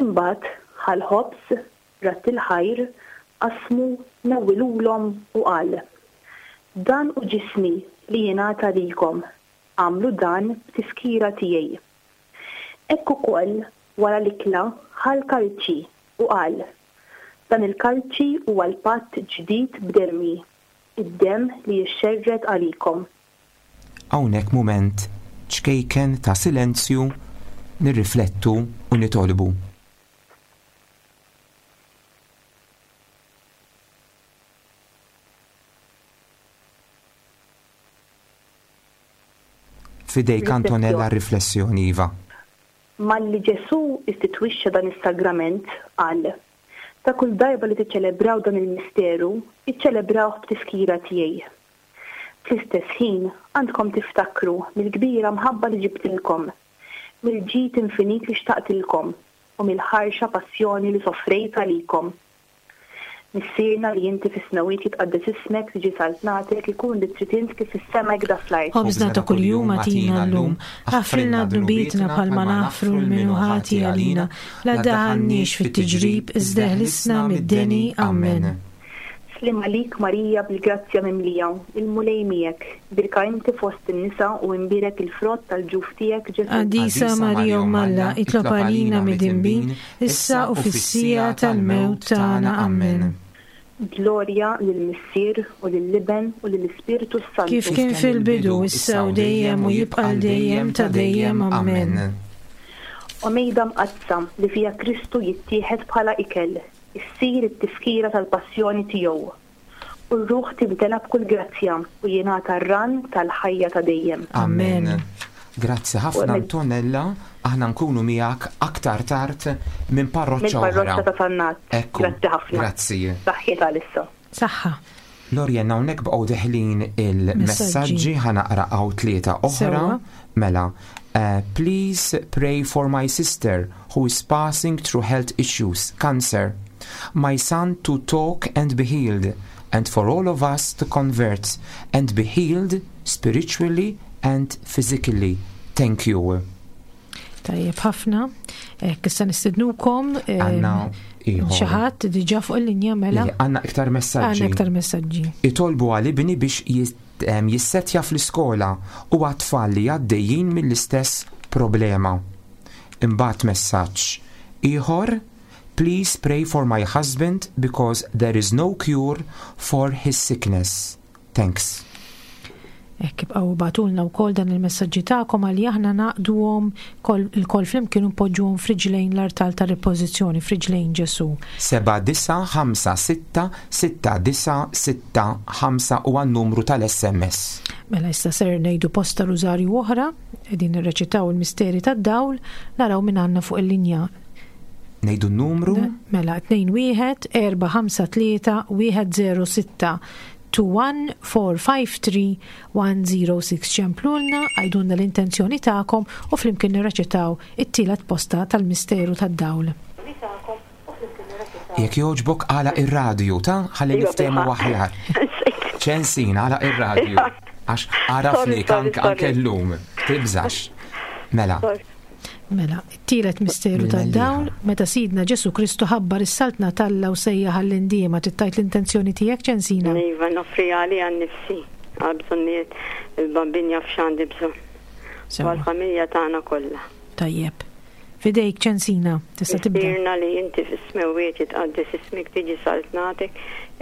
Imbagħad ħa l-ħobż, radd il-ħajr, qasmu, newwilulhom u qal, Dan hu ġismi li jingħata lilkom, agħmlu dan b'tifkira tiegħi. Hekk ukoll, wara l-ikla, ħa l-kalċi u qal, Dan il-kalċi huwa l-patt ġdid b'demmi, id-demm li jixxerred għalikom. Hawnhekk mument ċkejken ta' silenzju nirriflettu u nitolbu. F'idejk Antonella r-riflessjoni, iva. Malli Ġesù istitwixxa dan is-sagrament, qal, Ta' kull darba li tiċċelebraw dan il-misteru, iċċelebrawh b'tifkira tiegħi. Fl-istess ħin, għandkom tiftakru mill-kbira mħabba li ġibtilkom, mill-ġid infinit li xtaqtilkom u mill-ħarxa passjoni li sofrejt għalikom. Missierna li inti fis-smewwiet jitqaddes ismek, tiġi saltnatek, ikun li trid int kif fis-sema hekk da fl-art. Ħobżna ta' kuljum agħtina llum. Aħfrilna dnubietna bħalma naħfru 'l min hu ħati għalina. La ddaħħalniex fit-tiġrib, iżda eħlisna mid-deni. Ammen. Sliem għalik Marija bil-grazzja mimlija, il-Mulej miegħek, bierka inti fost in-nisa u imbierek il-frott tal-ġuf tiegħek Ġesù. Qaddisa Marija Omm Alla, itlob għalina midinbin, issa u fis-siegħa tal-mewt tagħna. Ammen. Glorja lill-Missier u lill-Iben u lill-Ispirtu s-Santu. Kif kien fil-bidu, issa u dejjem u jibqa' għal dejjem ta' dejjem. Ammen. O Mejda Mqaddsa li fiha Kristu jittieħed bħala ikel, issir it-tifkira tal-passjoni tiegħu, u r-ruħ timtela b'kull grazzja u jingħata r-rann tal-ħajja ta' dejjem. Amen. Grazzi ħafna Antonella, aħna nkunu miegħek aktar tard minn parroċċa oħra. Mill-parroċċa ta' Sannat. Ekku. Grazzi ħafna. Grazzi. Saħħiet għalissa. Saħħa. Lorien, hawnhekk baqgħu deħlin il-messaġġi ħa naqra hawn tlieta oħra. Mela, uh, please pray for my sister who is passing through health issues, cancer. My son to talk and be healed, and for all of us to convert and be healed spiritually and physically. Thank you. Tajjeb ħafna. Hekk issa nistednukom. Għanna Xi ħadd diġà fuq il-linja mela. Għandna iktar messaġġi. Għandna iktar messaġġi. Itolbu għal ibni biex jissetja fl-iskola u għat-tfal li għaddejjin mill-istess problema. Imbagħad messaġġ ieħor Please pray for my husband because there is no cure for his sickness. Thanks. Hekk ibqgħu ibagħtulna wkoll dan il-messaġġi tagħkom għalli aħna nagħqduhom ilkoll flimkien u npoġġuhom f'riġlejn l-artal tar-ripożizzjoni, f'riġlejn Ġesù. 79566965 huwa n-numru tal-SMS. Mela issa ser ngħidu posta rużarju oħra, qegħdin nirreċitaw il-misteri tad-dawl, naraw min għandna fuq il-linja. Ngħidu n-numru? Mela 2 1 4 5 3 1 0 6 21453 ċemplulna, għajdulna l-intenzjoni tagħkom u flimkien nirreċitaw it-tielet posta tal-misteru tad-dawl. Jekk jogħġbok għala ir-radju ta' ħalli Iva, niftehmu bilħaqq. aħjar. Ċensin għala ir-radju. Għax għarafnik Sorry, sorry, anke llum. Tibżax. Mela. Sorry. Mela, it-tielet misteru tad-dawl, meta Sidna Ġesu Kristu ħabbar is-saltna t'Alla u sejjaħ għall-indiema, trid tgħid l-intenzjoni tiegħek, Ċensina? Iva, noffri għalija nnifsi, għal bżonnijiet il-Bambin jaf x'għandi bżonn. U għall-familja tagħna kollha. Tajjeb. F'idejk, Ċensina, tista' tibda. Missierna li inti fis-smewwiet jitqaddes ismek tiġi saltnatek,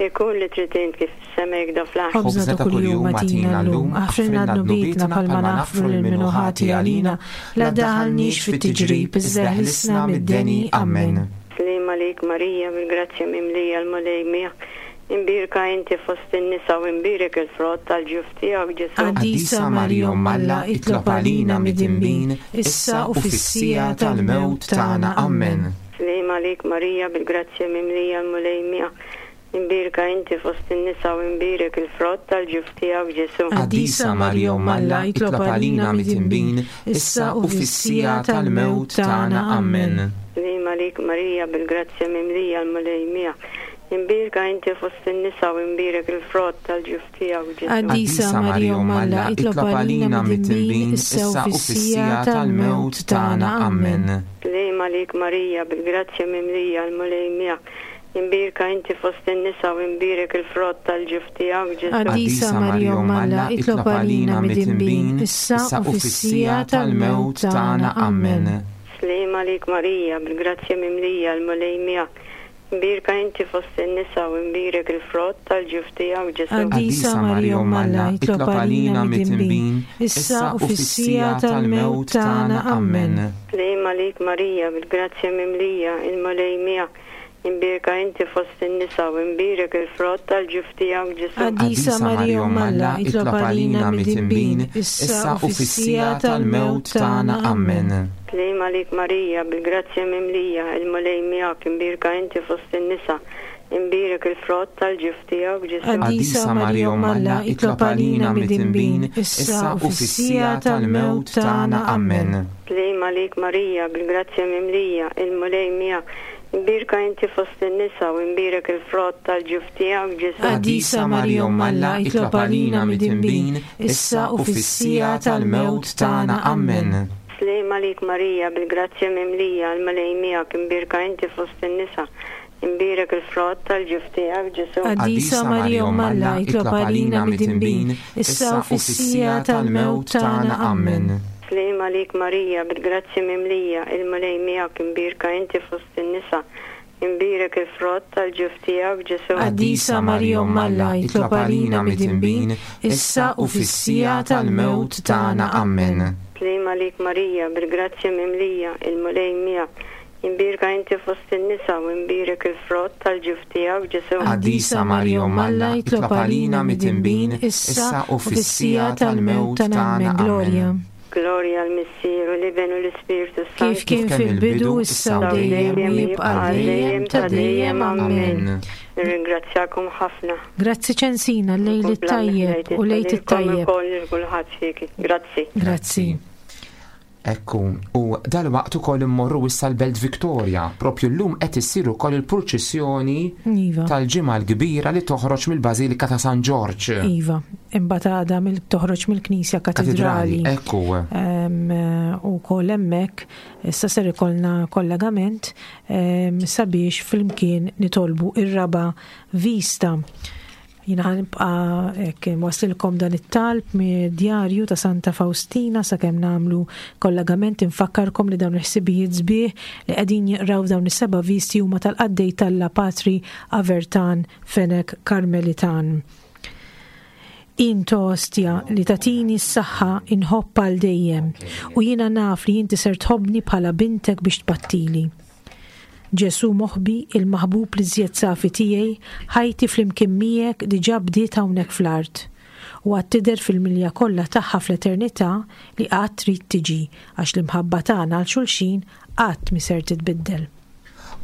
ikun li trid int kif fis-sema hekda fl-art. Ħobżna ta' kuljum agħtina llum, aħfrilna dnubietna bħalma naħfru lil min hu ħati għalina, la ddaħħalniex fit-tiġrib, iżda eħlisna mid-deni. Ammen. Sliem għalik Marija, bil-grazzja mimlija l-Mulej miegħek, imbierka inti fost in-nisa u imbierek il-frott tal-ġuf tiegħek Ġesù. Qaddisa Marija Omm Alla, itlob għalina midinbin, issa u fis-siegħa tal-mewt tagħna. Ammen. Sliem għalik Marija, bil-grazzja mimlija l-Mulej miegħek, imbierka inti fost in-nisa u imbierek il-frott tal-ġuf tiegħek Ġesù. Qaddisa Marija Omm Alla, itlob għalina midinbin, issa u fis-siegħa tal-mewt tagħna. Ammen. Sliem għalik Marija, bil-grazzja mimlija l-Mulej miegħek, imbierka inti fost in-nisa u imbierek il-frott tal-ġuf tiegħek Ġesù. Qaddisa Marija Omm Alla, itlob għalina midinbin, issa u fis-siegħa tal-mewt tagħna. Ammen. Sliem għalik Marija, bil-grazzja mimlija l-Mulej miegħek, imbierka inti fost in-nisa u imbierek il-frott tal-ġuf tiegħek Ġesù. Qaddisa Marija Omm Alla, itlob għalina midinbin, issa u fis-siegħa tal-mewt tagħna. Ammen. Sliem għalik Marija, bil-grazzja mimlija l-Mulej miegħek, Imbierka inti fost in-nisa u imbierek il-frott tal-ġuf tiegħek Ġesù. Qaddisa Marija Omm Alla, itlob għalina midinbin, issa u fis-siegħa tal-mewt tagħna. Ammen. Sliem għalik Marija, bil-grazzja mimlija, il-Mulej miegħek, imbierka inti fost in-nisa u imbierek il-frott tal-ġuf tiegħek Ġesù. Qaddisa Marija Omm Alla, itlob għalina midinbin, issa u fis-siegħa tal-mewt tagħna. Ammen. Sliem għalik Marija, bil-grazzja mimlija, il-Mulej miegħek, imbierka inti fost in-nisa, imbierek il-frott tal-ġuf tiegħek Ġesù. Qaddisa Marija Omm Alla, itlob għalina midinbin, issa u fis-siegħa tal-mewt tagħna. Ammen. Sliem għalik Marija, bil-grazzja mimlija, il-Mulej miegħek, imbierka inti fost in-nisa u imbierek il-frott tal-ġuf tiegħek Ġesù. Qaddisa Marija Omm Alla, itlob għalina midinbin, issa u fis-siegħa tal-mewt tagħna. Ammen. Sliem għalik Marija, bil-grazzja mimlija, l-Mulej miegħek, imbierka inti fost in-nisa, imbierek il-frott tal-ġuf tiegħek Ġesù. Qaddisa Marija Omm Alla, itlob għalina midinbin, issa u fis-siegħa tal-mewt tagħna. Ammen. Sliem għalik Marija, bil-grazzja mimlija, il-Mulej miegħek, imbierka inti fost in-nisa, Imbierek il-frott tal-ġuf tiegħek, Ġesù. Qaddisa Marija Omm Alla, itlob għalina midinbin, issa u fis-siegħa tal-mewt tagħna. Ammen. Sliem għalik Marija, bil-grazzja mimlija, il-Mulej miegħek. Imbierka inti fost in-nisa u imbierek il-frott tal-ġuf tiegħek, Ġesù. Qaddisa Marija Omm Alla, itlob għalina midinbin, issa u fis-siegħa tal-mewt tagħna. Ammen. Glorja. Glorja l-Missier u l-Iben u l-Ispirtu s-Santu. Kif kien fil-bidu, issa u dejjem, u jibqa' għal dejjem ta' dejjem. Ammen. Nirringrazzjakom ħafna. Grazzi Ċensina, lejl it-tajjeb u lejt it-tajjeb. Grazzi. Grazzi. Ekku, u dal-waqt ukoll immorru issa l-Belt Victoria, propju llum qed issir ukoll il-purċissjoni iva. tal-ġimgħa l-kbira li toħroġ mill-Bażilika ta' San Ġorġ. Iva, imbagħad għada mill toħroġ mill-Knisja Katidrali. Ekku. U koll hemmhekk issa ser ikollna kollegament sabiex flimkien nitolbu ir-raba' vista. Jiena ħanibqa' hekk inwasslilkom dan it-talb mid-djarju ta' Santa Faustina sakemm nagħmlu kollegament infakkarkom li dawn il-ħsibijiet sbieħ li qegħdin jinqraw f'dawn is-seba' visti huma tal-qaddej t'Alla Patri Avertan Fenech Karmelitan. Int, o Ostja, li tagħtini s-saħħa inħobb għal dejjem, u jiena naf li inti ser tħobbni bħala bintek biex tbattili. Ġesù moħbi, il-maħbub l-iżjed safi tiegħi, ħajti flimkien miegħek diġà bdiet hawnhekk fl-art, u għad tidher fil-milja kollha tagħha fl-eternità li għad trid tiġi, għax l-imħabba tagħna għal xulxin qatt mhi ser titbiddel.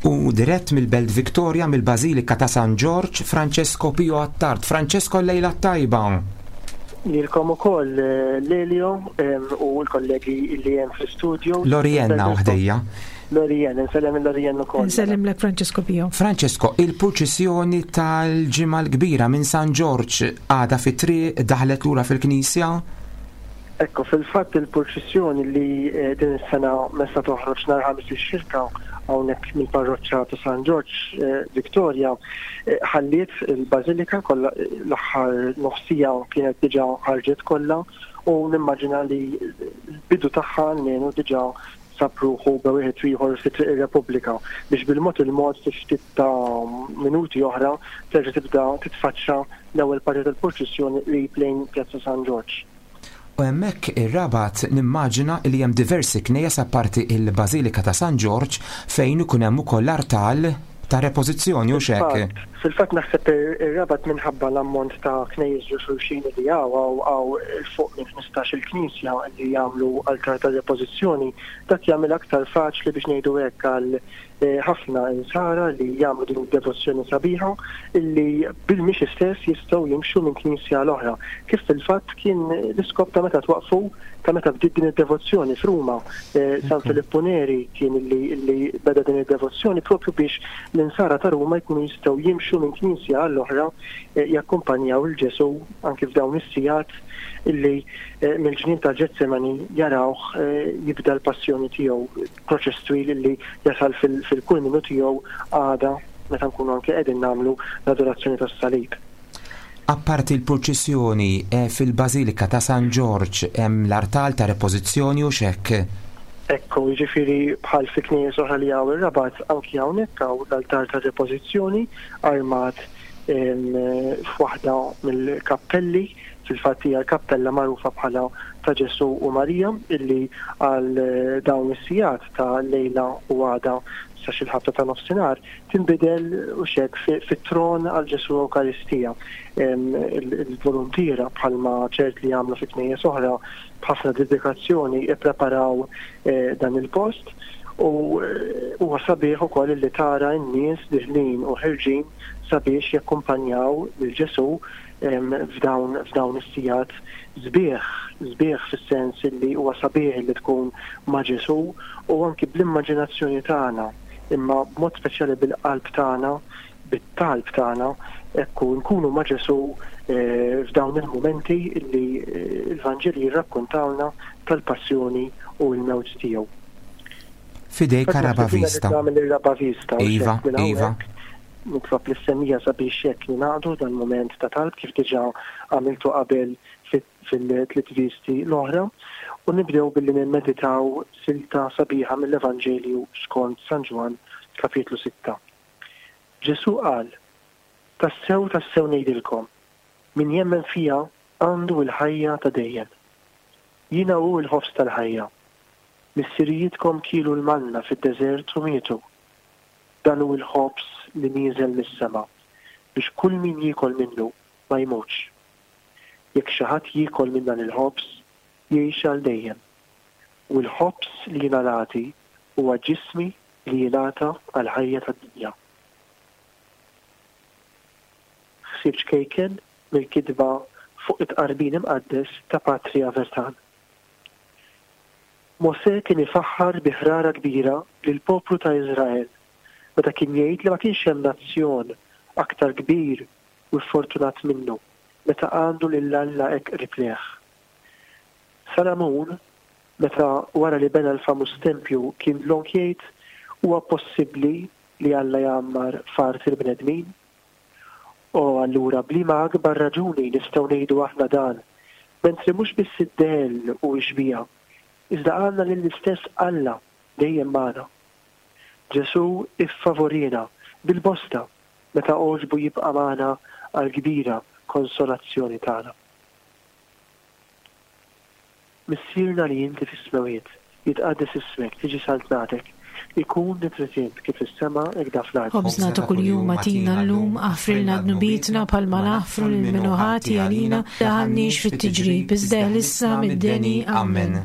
U dirett mill-Belt Victoria mill-Bażilika ta' San Ġorġ, Francesco Pio Attard. Francesco l-lejla t-tajba! Lilkom ukoll Lelio u l-kollegi li hemm fl-istudio. Lorienna hawn ħdejja. Lorien, insellem lil Lorien ukoll. Insellimlek Francesco Pio. Francesco, il-purċissjoni tal-Ġimgħa l-Kbira minn San Ġorġ għadha fit-triq, daħlet lura fil-knisja? Ekku, fil-fatt il-purċissjoni li din is-sena messha toħroġ nhar Ħamis ix-Xirka hawnhekk mill-parroċċa ta' San Ġorġ Victoria ħalliet il-Bażilika kollha l-aħħar nofs siegħa kienet diġà ħarġet kollha u nimmaġina li l-bidu tagħha almenu diġà sab ruħu bejn wieħed u ieħor fi Triq ir-Repubblika biex bil-mod il-mod fi ftit ta' minuti oħra terġa' tibda titfaċċa l-ewwel parti tal-purċissjoni qrib lejn Pjazza San Ġorġ. U hemmhekk ir-Rabat nimmaġina li hemm diversi knejjes apparti il-Bażilika ta' San Ġorġ fejn ikun hemm ukoll artal ta' repożizzjoni, hux hekk? Fil-fatt naħseb ir-Rabat minħabba l-ammont ta' knejjes ġo xulxin li hawn, hawn hawn 'il fuq minn 15-il knisja li jagħmlu altar ta' repożizzjoni, dak jagħmilha aktar faċli biex ngħidu hekk għal ħafna Insara li jagħmlu din id-devozzjoni sabiħa illi bil-mixi stess jistgħu jimxu minn knisja għal oħra, kif fil-fatt kien l-iskop ta' meta twaqqfu, ta' meta bdiet din id-devozzjoni f'Ruma. San Filippu Neri kien illi beda din id-devozzjoni propju biex l-Insara ta' Ruma jkunu jistgħu jimxu minn knisja għal oħra jakkumpanjaw 'il Ġesù anki f'dawn is-sigħat illi mill-ġnien ta' Ġetsemani jarawh jibda l-passjoni tiegħu. Proċess twil li jasal fil-kulminu tiegħu għada meta nkunu anke qegħdin nagħmlu l-adorazzjoni tas-salib. Apparti l-purċissjoni, fil-Bażilika ta' San Ġorġ hemm l-artal ta' repożizzjoni hux hekk? Ekku, jiġifieri bħal fi knejjes oħra li hawn ir-Rabat, anki hawnhekk hawn l-altar tar-repożizzjoni armat f'waħda mill-kappelli. Fil-fatt hija l-kappella magħrufa bħala ta' Ġesù u Marija illi għal dawn is-sigħat ta' lejla u għada sa xi l-ħabta ta' nofsinhar tinbidel hux hekk fit-tron għal Ġesù Ewkaristija. Il-voluntiera bħalma ċert li jagħmlu fi knejjes oħra b'ħafna dedikazzjoni ippreparaw dan il-post u huwa sabiħ ukoll illi tara n-nies diħlin u ħerġin sabiex jakkumpanjaw lil Ġesù f'dawn f'dawn is-sigħat sbieħ, sbieħ fis-sens illi huwa sabiħ illi tkun ma' Ġesù u anki bl-immaġinazzjoni tagħna, imma b'mod speċjali bil-qalb tagħna, bit-talb tagħna, hekk hu, nkunu ma' Ġesù f'dawn il-mumenti illi l-Vanġeli jirrakkuntawlna tal-passjoni u l-mewt tiegħu. F'idejk Raba Vista. Iva, iva. Nitlob lis-semmiegħa sabiex hekk ningħaqdu f'dan mument ta' talb kif diġà għamiltu qabel fil-tliet viżti l-oħra u nibdew billi nimmeditaw silta sabiħa mill-Evanġelju skont San Ġwann kapitlu sitta. Ġesù qal, Tassew tassew ngħidilkom, min jemmen fija għandu l-ħajja ta' dejjem. Jiena hu l-ħobż tal-ħajja. Missirijietkom kielu l-manna fid-deżert u mietu. Dan hu l-ħobż li nieżel mis-sema, biex kull min jiekol minnu ma jmutx. Jekk xi ħadd jiekol minn dan il-ħobż, jgħix għal dejjem. U l-ħobż li jiena nagħti huwa ġismi li jingħata għall-ħajja tad-dinja. Ħsieb ċkejken mill-kitba fuq it-Tqarbin Imqaddes ta' Patri Avertan. Mosè kien ifaħħar bi ħrara kbira lill-poplu ta' Iżrael meta kien jgħid li ma kienx hemm nazzjon aktar kbir u ffortunat minnu meta għandu lil Alla hekk qrib lejh. Salamun, meta wara li bena l-famuż tempju kien dlonk jgħid, Huwa possibbli li Alla jgħammar f'art il-bnedmin? O, allura b'liema akbar raġuni nistgħu ngħidu aħna dan, mentri mhux biss id-dell u x-xbieha, iżda għandna lill-istess Alla dejjem magħna. Ġesù iffavoriena bil-bosta meta għoġbu jibqa' magħna għall-kbira konsolazzjoni tagħna. Missierna li inti fis-smewwiet, jitqaddes ismek, tiġi saltnatek, ikun li trid int kif fis-sema hekk fl-art. Ħobżna ta' kuljum agħtina llum, aħfrilna dnubietna bħalma naħfru lil min hu ħati għalina, daħalniex fit-tiġrib, iżda eħlisna mid-deni. Amen.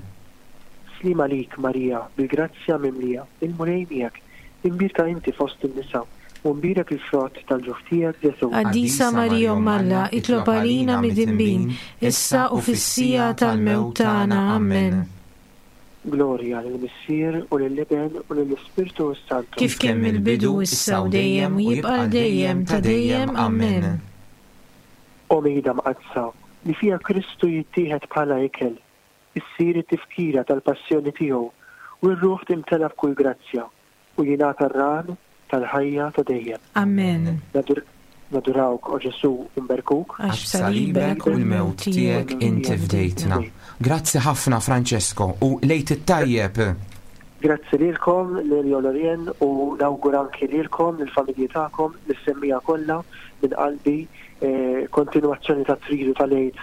Sliem għalik, Marija, bil-grazzja mimlija, il-Mulej miegħek, imbierka inti fost in-nisa, u mbierek il-frott tal-ġuf tiegħek, Ġesù. Qaddisa Marija Omm Alla, itlob għalina midinbin, issa u fis-siegħa tal-mewt tagħna. Amen. Glorja lill-Missier u lill-Iben u lill-Ispirtu s-Santu. Kif kien mill-bidu, issa u dejjem, u jibqa' għal dejjem ta' dejjem. Amen. O Mejda Mqaddsa, li fiha Kristu jittieħed bħala ikel, issir it-tifkira tal-passjoni tiegħu u r-ruħ timtela b'kull grazzja u jingħata r-rahan tal-ħajja ta' dejjem. Amen. Nadurawk, o Ġesù, u nberkuk. Għax Għax b'salibek u l-mewt tiegħek inti fdejtna. Grazzi ħafna Francesco u l-Għid it-tajjeb! Grazzi lilkom, Lelio Lorien, u nawgura anki lilkom, lill-familji tagħkom, lis-semmiegħa kollha minn qalbi kontinwazzjoni tat-tridu tal-Għid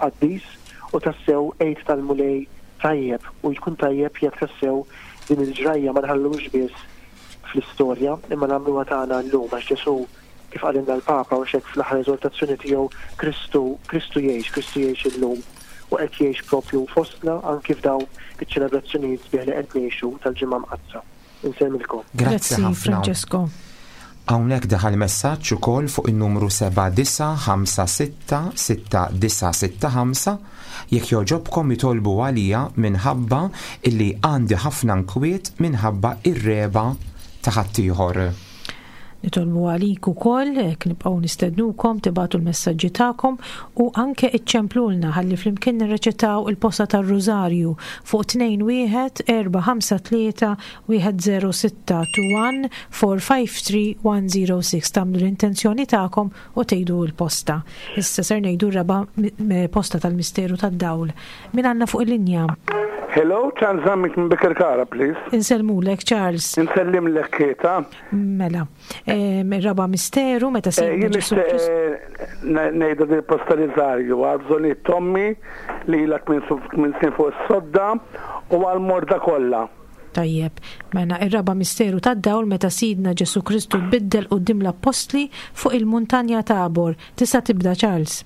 qaddis u tassew Għid tal-Mulej tajjeb u jkun tajjeb jekk tassew din il-ġrajja ma nħalluhiex biss fl-istorja imma nagħmluha tagħna llum għax Ġesù kif qalilna l-Papa u hekk fl-aħħar eżortazzjoni tiegħu Kristu Kristu jgħix, Kristu jgħix illum u qed jgħix propju fostna anki f'dawn iċ-ċelebrazzjonijiet sbieħ li qed ngħixu tal-Ġimgħa Mqaddsa. Insellmilkom. Grazzi Grazzi ħafna. Francesco. Hawnhekk daħal messaġġ ukoll fuq in-numru 79566965 jekk jogħġobkom itolbu għalija minħabba illi għandi ħafna nkwiet minħabba ir-regħba ta' ħaddieħor. Nitolbu għalik ukoll, hekk nibqgħu nistednukom tibagħtu l-messaġġi tagħkom u anke iċċemplulna ħalli flimkien nirreċitaw il-posta tar-Rużarju fuq 21 453 106 21 453 106 tagħmlu l-intenzjoni tagħkom u tgħidu l-posta. Issa ser ngħidu r-raba' posta tal-misteru tad-dawl. Min għandna fuq il-linja? Hello, Charles Zammit minn Bikirkara, please. Insellmulek, Charles. Insellimlek, Kieta. Mela, ir-raba' misteru meta eh, Sidna Jien Ġesù nixtieq Kristu. eh, ngħidu li postalizzarju għal bżonnijiet tommi li ilha tmien snin fuq is-sodda u għal morda kollha. Tajjeb, mela ir-raba' misteru tad-dawl meta Sidna Ġesù Kristu tbiddel quddiem l-appostli fuq il-muntanja Tabor. Tista' tibda Charles.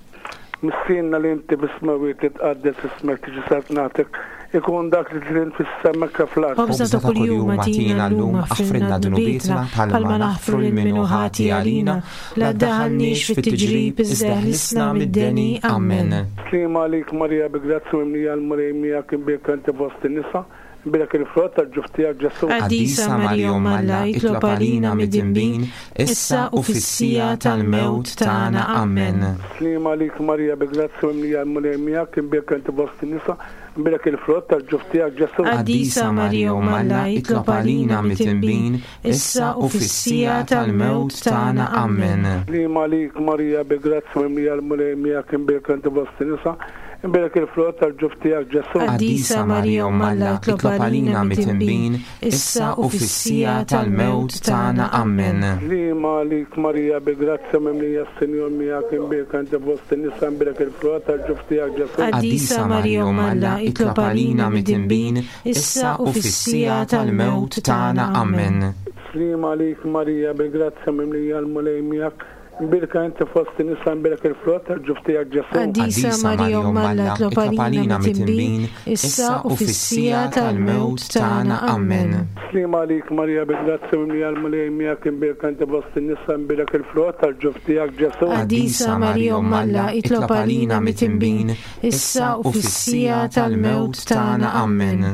Missierna li inti fis-smewwiet titqaddes ismek tiġi saltnatek ikun dak li trid int fis-sema kif fl-art. Ħobżna ta' kuljum agħtina llum, aħfrilna dnubietna bħalma naħfru lil min hu ħati għalina, la ddaħħalniex fit-tiġrib iżda eħlisna mid-deni. Amen. Sliema għalik Marija bi grazzja mimlija l-Mulej miegħek imbierka inti fost in-nisa, Imbierek il-frott tal-ġuf tiegħek, Ġesù. Qaddisa Marija Omm Alla, itlob għalina midinbin, issa u fis-siegħa tal-mewt tagħna. Amen. Sliema għalik Marija, bi grazzja mimlija l-Mulej miegħek, imbierka inti fost in-nisa, imbierek il-frott tal-ġuf tiegħek, Ġesù. Qaddisa Marija Omm Alla, itlob għalina midinbin, issa u fis-siegħa tal-mewt tagħna. Amen. Sliema għalik Marija, bi grazzja mimlija l-Mulej miegħek, imbierka inti fost in-nisa, Imbierek il-frott tal-ġuf tiegħek, Ġesù. Qaddisa Marija Omm Alla, itlob għalina midinbin, issa u fis-siegħa tal-mewt tagħna. Amen. Sliema għalik Marija, bi grazzja mimlija s-Sinjur miegħek, imbierka inti fost in-nisa, imbierek il-frott tal-ġuf tiegħek, Ġesù. Qaddisa Marija Omm Alla, itlob għalina midinbin, issa u fis-siegħa tal-mewt tagħna. Amen. Sliema għalik Marija, bi grazzja mimlija l-Mulej miegħek, Imbierka inti fost in-nisa, imbierek il-frott tal-ġuf tiegħek, Ġesù. Qaddisa Marija Omm Alla, itlob għalina midinbin, issa u fis-siegħa tal-mewt tagħna. Amen. Sliema għalik Marija, bi grazzja mimlija l-Mulej miegħek, imbierka inti fost in-nisa, imbierek il-frott tal-ġuf tiegħek, Ġesù. Qaddisa Marija Omm Alla, itlob għalina midinbin, issa u fis-siegħa tal-mewt tagħna. Amen.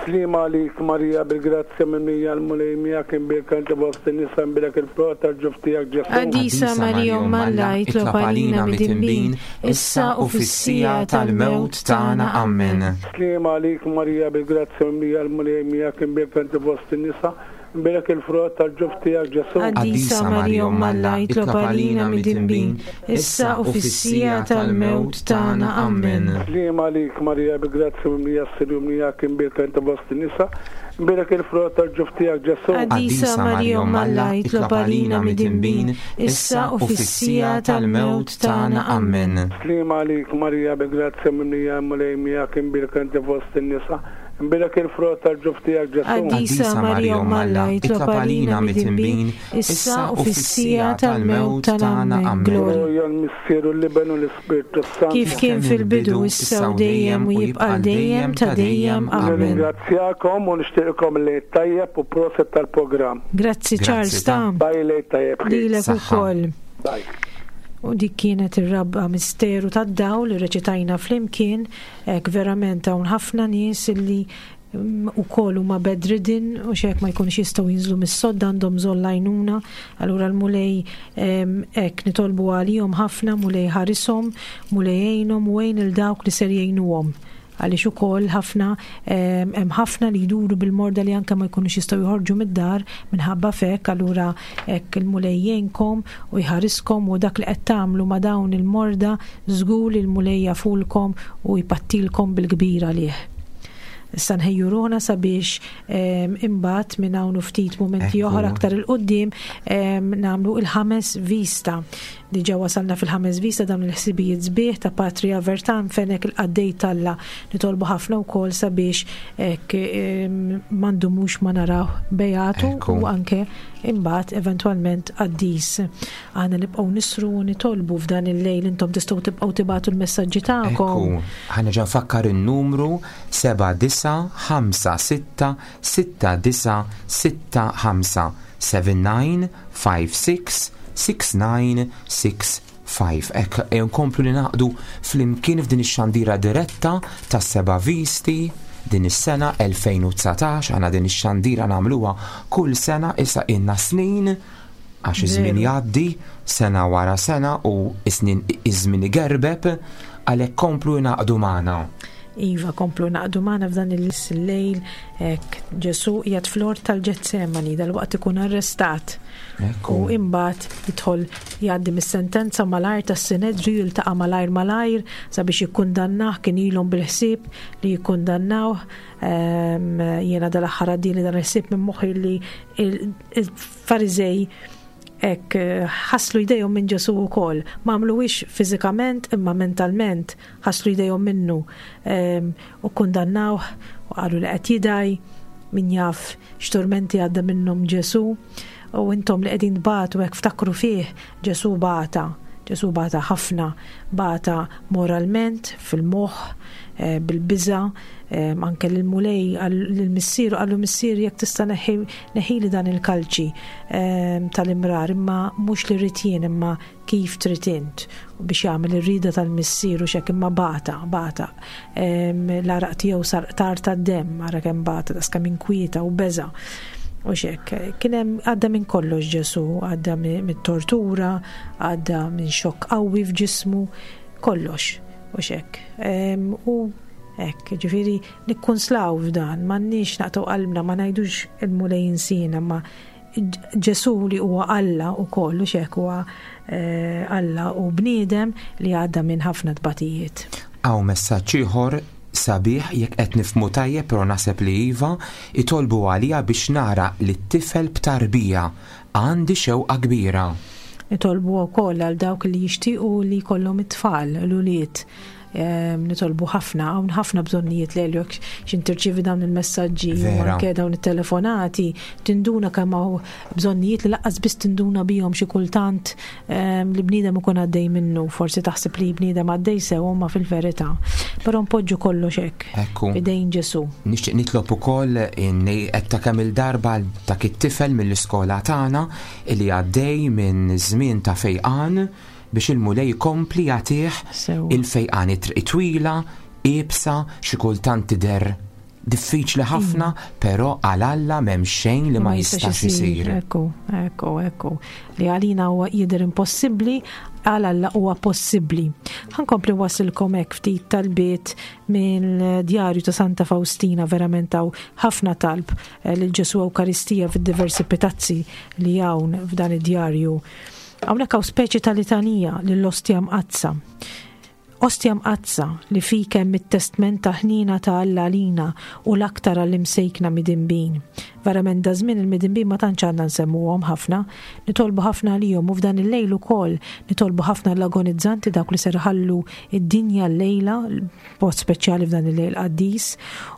Sliema għalik Marija bil-grazzja mimlija l-Mulej miegħek imbierka inti fost in-nisa imbierek il-frott tal-ġuf tiegħek Ġesù. Qaddisa Marija Omm Alla itlob għalina midinbin issa u fis-siegħa tal-mewt tagħna. Amen. Sliema għalik Marija bil-grazzja mimlija l-Mulej miegħek imbierka inti fost in-nisa imbierek il-frott tal-ġuf tiegħek Ġesù. Qaddisa Marija Omm Alla itlob għalina midinbin issa u fis-siegħa tal-mewt tagħna. Amen. Sliema għalik, Marija, bi grazzja mimlija s-Sinjur miegħek, imbierka inti fost in-nisa, Imbierek il-frott tal-ġuf tiegħek Ġesù. Qaddisa Marija Omm Alla, itlob għalina midinbin, issa u fis-siegħa tal-mewt tagħna. Ammen. Sliema għalik Marija bi grazzja mimlija il-Mulej miegħek imbierka inti fost in-nisa, imbierek il-frott tal-ġuf tiegħek Ġesù. Qaddisa Marija Omm Alla, itlob għalina midinbin, issa u fis-siegħa tal-mewt tagħna. Ammen. Glorja l-Missier u l-Iben u l-Ispirtu s-Santu. Kif kien fil-bidu, issa u dejjem u jibqa' għal dejjem ta' dejjem. Ammen. Nirringrazzjakom u nixtieqilkom il-Lejl tajjeb u proset tal-programm. Grazzi Charles ta. Bye Lejl tajjeb. Lilek ukoll. Bye. U dik kienet ir-rabba misteru tad-dawl li reċitajna flimkien, hekk verament hawn ħafna nies illi ukoll huma bedridden u xek ma jkunux jistgħu jinżlu mis-sodda għandhom bżonn l-għajnuna. Allura l-Mulej hekk nitolbu għalihom ħafna, Mulej ħarishom, Mulej għinhom u għin il dawk li ser jgħinuhom għaliex ukoll ħafna hemm ħafna li jduru bil-morda li anke ma jkunux jistgħu joħorġu mid-dar minħabba fek, allura hekk il-Mulej jgħinkom u jħariskom u dak li qed tagħmlu ma' dawn il-morda żgur li l-Mulej jafulkom u jpattilkom bil-kbir għalih. Issa nħejju ruħna sabiex ehm, imbagħad minn hawn ftit mumenti oħra aktar il-qudiem ehm, nagħmlu il-ħames vista. Diġà wasalna fil-ħames vista dawn il-ħsibijiet sbieħ ta' Patria Vertan fenek il-qaddej talla nitolbu ħafna wkoll sabiex hekk ehm, m'għandumux ma naraw bejatu u anke imbagħad eventwalment qaddis. Aħna nibqgħu nisru u nitolbu f'dan il-lejl intom tistgħu tibqgħu tibagħtu l-messaġġi tagħkom. Ekku, ħa nerġa' nfakkar in-numru 79566965 79566965. Hekk ejja nkomplu li naqdu flimkien f'din ix-xandira diretta tas-seba' visti din is-sena 2019 aħna din ix-xandira nagħmluha kull sena issa ilna snin Għax iż-żmien jgħaddi sena wara sena u s-snin iż-żmien igerbeb, għalhekk komplu ingħaqdu magħna. Iva, komplu ingħaqdu magħna f'dan il-lejl hekk Ġesù qiegħed fl-ort tal-Ġetsemani dalwaqt ikun arrestat. U imbagħad jidħol jgħaddi mis-sentenza malajr tas-Sinedriju jiltaqa' malajr malajr sabiex jikkundannah kien ilhom bil-ħsieb li jikkundannawh. Ehm, jiena dal-aħħar għaddili dan il-ħsieb minn moħħi li il-Fariżej hekk eh, ħaslu jdejhom minn Ġesù wkoll. Ma għamluwix fiżikament imma mentalment ħaslu jdejhom minnu ehm, u kundannawh u qalu li qed jidaj min jaf x'turmenti għadda minnhom Ġesù u intom li qegħdin tbatu hekk ftakru fih Ġesù bata. Ġesù bata ħafna, bata moralment, fil-moħħ, eh, bil-biża, anke lill-Mulej lill-Missier qallu Missier jekk tista' neħili dan il-kalċi tal-imrar imma mhux li rrid jien imma kif trid int u biex jagħmel ir-rieda tal-Missier u x'hekk imma bata bata l-għaraq tiegħu sar qtar tad-demm ara kemm bata daqs kemm inkwieta u beża' u x'hekk. Kien hemm għadda minn kollox Ġesù, għadda mit-tortura, għadda minn xokk qawwi f'ġismu, kollox u x'hekk. U Hekk, ġifieri nikkunslaw f'dan, m'għandniex naqtgħu qalbna, ma ngħidux il-Mulej insiena, ma Ġesù li huwa Alla wkoll u x'hekk huwa eh, Alla u bniedem li għadda minn ħafna tbatijiet. Hawn messaġġ ieħor sabiħ jekk qed nifhmu tajjeb però naħseb li iva, itolbu għalija biex nara lit-tifel b'tarbija. Għandi xewqa kbira. Nitolbu wkoll għal dawk li jixtiequ li jkollhom it-tfal, l-ulied. Nitolbu ħafna, hawn ħafna bżonnijiet li jekk xin tirċievi dawn il-messaġġi u anke dawn it-telefonati, tinduna kemm hawn bżonnijiet li laqqas biss tinduna bihom xi kultant li bniedem ikun għaddej minnu, forsi taħseb li bniedem għaddej sew ma fil-verità. Però npoġġu kollox hekk. Ekku. Idejn Ġesù. Nixtieq nitlob ukoll inni qed ta' kemm il-darba dak it-tifel mill-iskola tagħna li għaddej minn żmien ta' fejqan biex il-Mulej ikompli jagħtih il-fejqan. It-triq twila, iebsa, xi kultant tidher diffiċli ħafna, però għal Alla m'hemm xejn li ma jistax isir. Ekku, ekku, ekku. Li għalina huwa jidher impossibbli, għal Alla huwa possibbli. Ħankompli wasilkom hekk ftit talbiet mill-djarju ta' Santa Faustina verament hawn ħafna talb eh, lil Ġesu Ewkaristija fid-diversi pitazzi li hawn f'dan id-djarju. Hawnhekk hawn speċi ta' litanija lill-Ostja Mqaddsa. Ostja Mqaddsa, li fik hemm it-testment tal-ħniena ta' Alla għalina u l-aktar għall-imsejkna midinbin. Verament daż-żmien il-midinbin ma tantx għandna nsemmuhom ħafna. Nitolbu ħafna għalihom u f'dan il-lejl ukoll nitolbu ħafna għall-agonizzanti dawk li ser iħallu d-dinja llejla, b'mod speċjali f'dan il-lejl qaddis,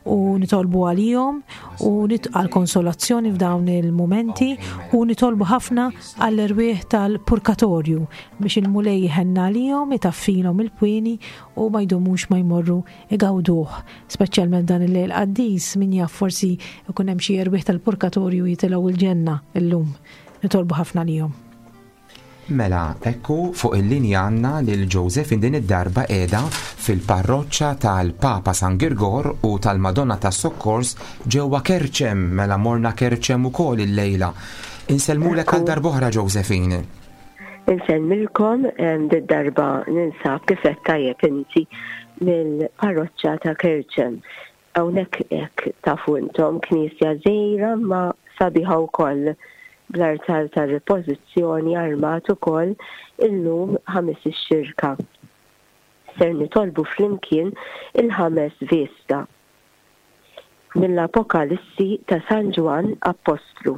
u nitolbu għalihom u għall-konsolazzjoni f'dawn il-mumenti u nitolbu ħafna għall-erwieħ tal-purkatorju biex il-Mulej jħenna għalihom, itaffilhom il-pwieni u ma jdumux ma jmorru igawduh. Speċjalment dan il-lejl qaddis, min jaf forsi ikun hemm xi erwieħ tal-purkatorju jitilgħu l-ġenna illum. Nitolbu ħafna għalihom. Mela, ekku fuq il-linja għandna lil Josephine din id-darba qiegħda fil-parroċċa tal-Papa San Girgor u tal-Madonna tas-Sokkors ġewwa Kerċem, mela morna Kerċem ukoll illejla. Insellmulek għal darb'oħra Josephine. Insellmilkom did-darba ninsab kif għedt tajjeb inti mill-parroċċa ta' Kerċem. Hawnhekk hekk tafu intom knisja żgħira imma sabiħa wkoll bl-artal tar-ripożizzjoni armat ukoll illum Ħamis ix-Xirka. Ser nitolbu flimkien il-ħames vista mill-Apokalissi ta' San Ġwann Appostlu.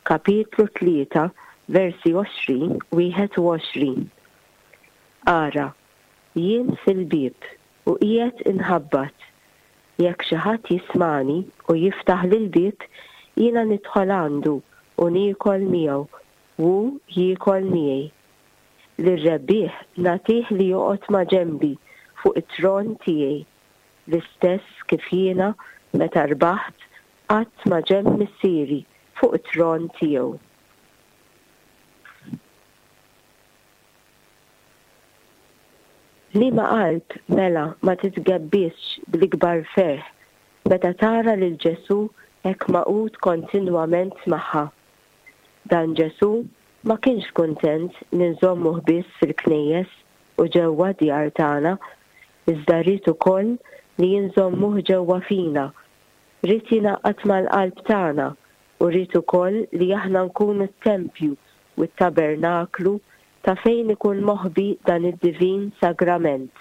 Kapitlu 3, versi 20, 21. Ara, jien fil-bieb u qiegħed inħabbat. Jekk xi ħadd jismagħni u jiftaħli l-bieb, jiena nidħol għandu u niekol miegħu u hu jiekol miegħi. Lir-rebbieħ nagħtih li joqgħod maġenbi fuq it-tron tiegħi, l-istess kif jiena meta rbaħt Qgħadt ma' ġenb Missieri fuq it-tron tiegħu. Liema qalb, mela, ma titgebbisx bl-ikbar ferħ meta tara lil Ġesù hekk magħqud kontinwament magħha? Dan Ġesù ma kienx kuntent li nżommuh biss fil-knejjes u ġewwa d-djar tagħna, iżda ried ukoll li inżommuh ġewwa fina Ried jingħaqad mal-qalb tagħna u ried ukoll li aħna nkunu t-tempju u t-tabernaklu ta' fejn ikun moħbi dan id-divin sagrament.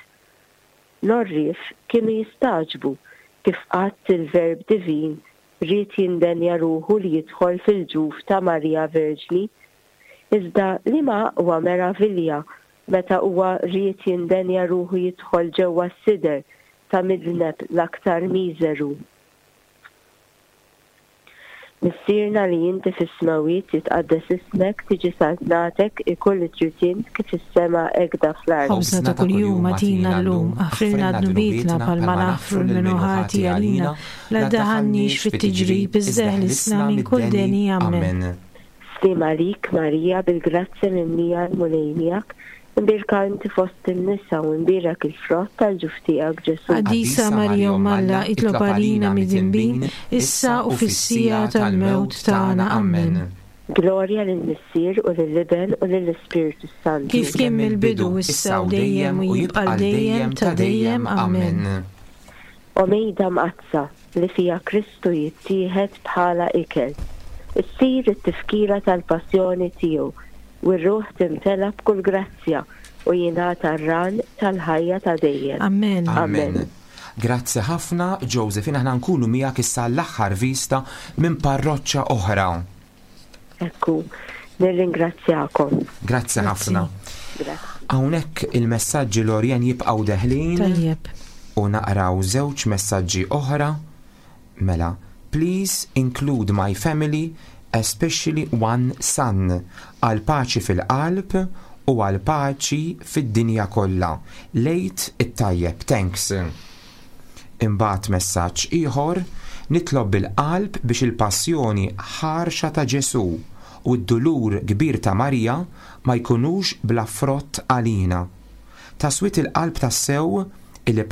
L-għorrief kienu jistagħġbu kif qatt il-Verb Divin ried jindenja ruħu li jidħol fil-ġuf ta' Marija Verġni. Iżda liema aqwa meravilja meta huwa ried jindenja ruħu jidħol ġewwa s-sider ta' midneb l-aktar miżeru. Missierna li inti fis-smewwiet jitqaddes ismek, tiġi saltnatek, ikun li trid int kif fis-sema hekda fl-art. Ħobżna ta' kuljum agħtina llum, aħfrilna dnubietna bħalma naħfru 'l min hu ħati għalina, la ddaħħalniex fit-tiġrib iżda eħlisna minn kull deni. Ammen. Sliem għalik, Marija, bil-grazzja mimlija l-Mulej miegħek, imbierka inti fost in-nisa u imbierek il-frott tal-ġuf tiegħek, Ġesù. Qaddisa Marija Omm Alla, itlob għalina midinbin, issa u fis-siegħa tal-mewt tagħna. Ammen. Glorja lill-Missier u lill-Iben u lill-Ispirtu s-Santu. Kif kien mill-bidu, issa u dejjem u jibqa' għal dejjem ta' dejjem. Ammen. O Mejda Mqaddsa, li fiha Kristu jittieħed bħala ikel, issir it-tifkira tal-passjoni tiegħu u r-ruħ timtela b'kull grazzja u jingħata r-ran tal-ħajja ta' dejjem. Amen. Amen. Grazzi ħafna Josephine, aħna nkunu miegħek issa l-aħħar vista minn parroċċa oħra. Ekku, nirringrazzjakom. Grazzi ħafna. Hawnhekk il-messaġġi Lorien jibqgħu deħlin. Tajjeb. U naqraw żewġ messaġġi oħra. Mela, please include my family, especially one son, għal paċi fil-qalb u għal paċi fid-dinja kollha. Lejt it-tajjeb, thanks. Imbagħad messaġġ ieħor, Nitlob bil-qalb biex il-passjoni ħarxa ta' Ġesù u d-dulur kbir ta' Marija ma jkunux bla frott għalina. Ta' swied il-qalb tassew illi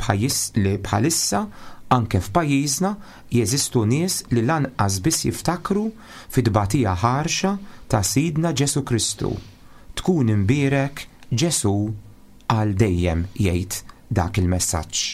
li bħalissa anke f'pajjiżna jeżistu nies li lanqas biss jiftakru fit-tbatija ħarxa ta' Sidna Ġesù Kristu. Tkun imbierek Ġesù għal dejjem jgħid dak il-messaġġ.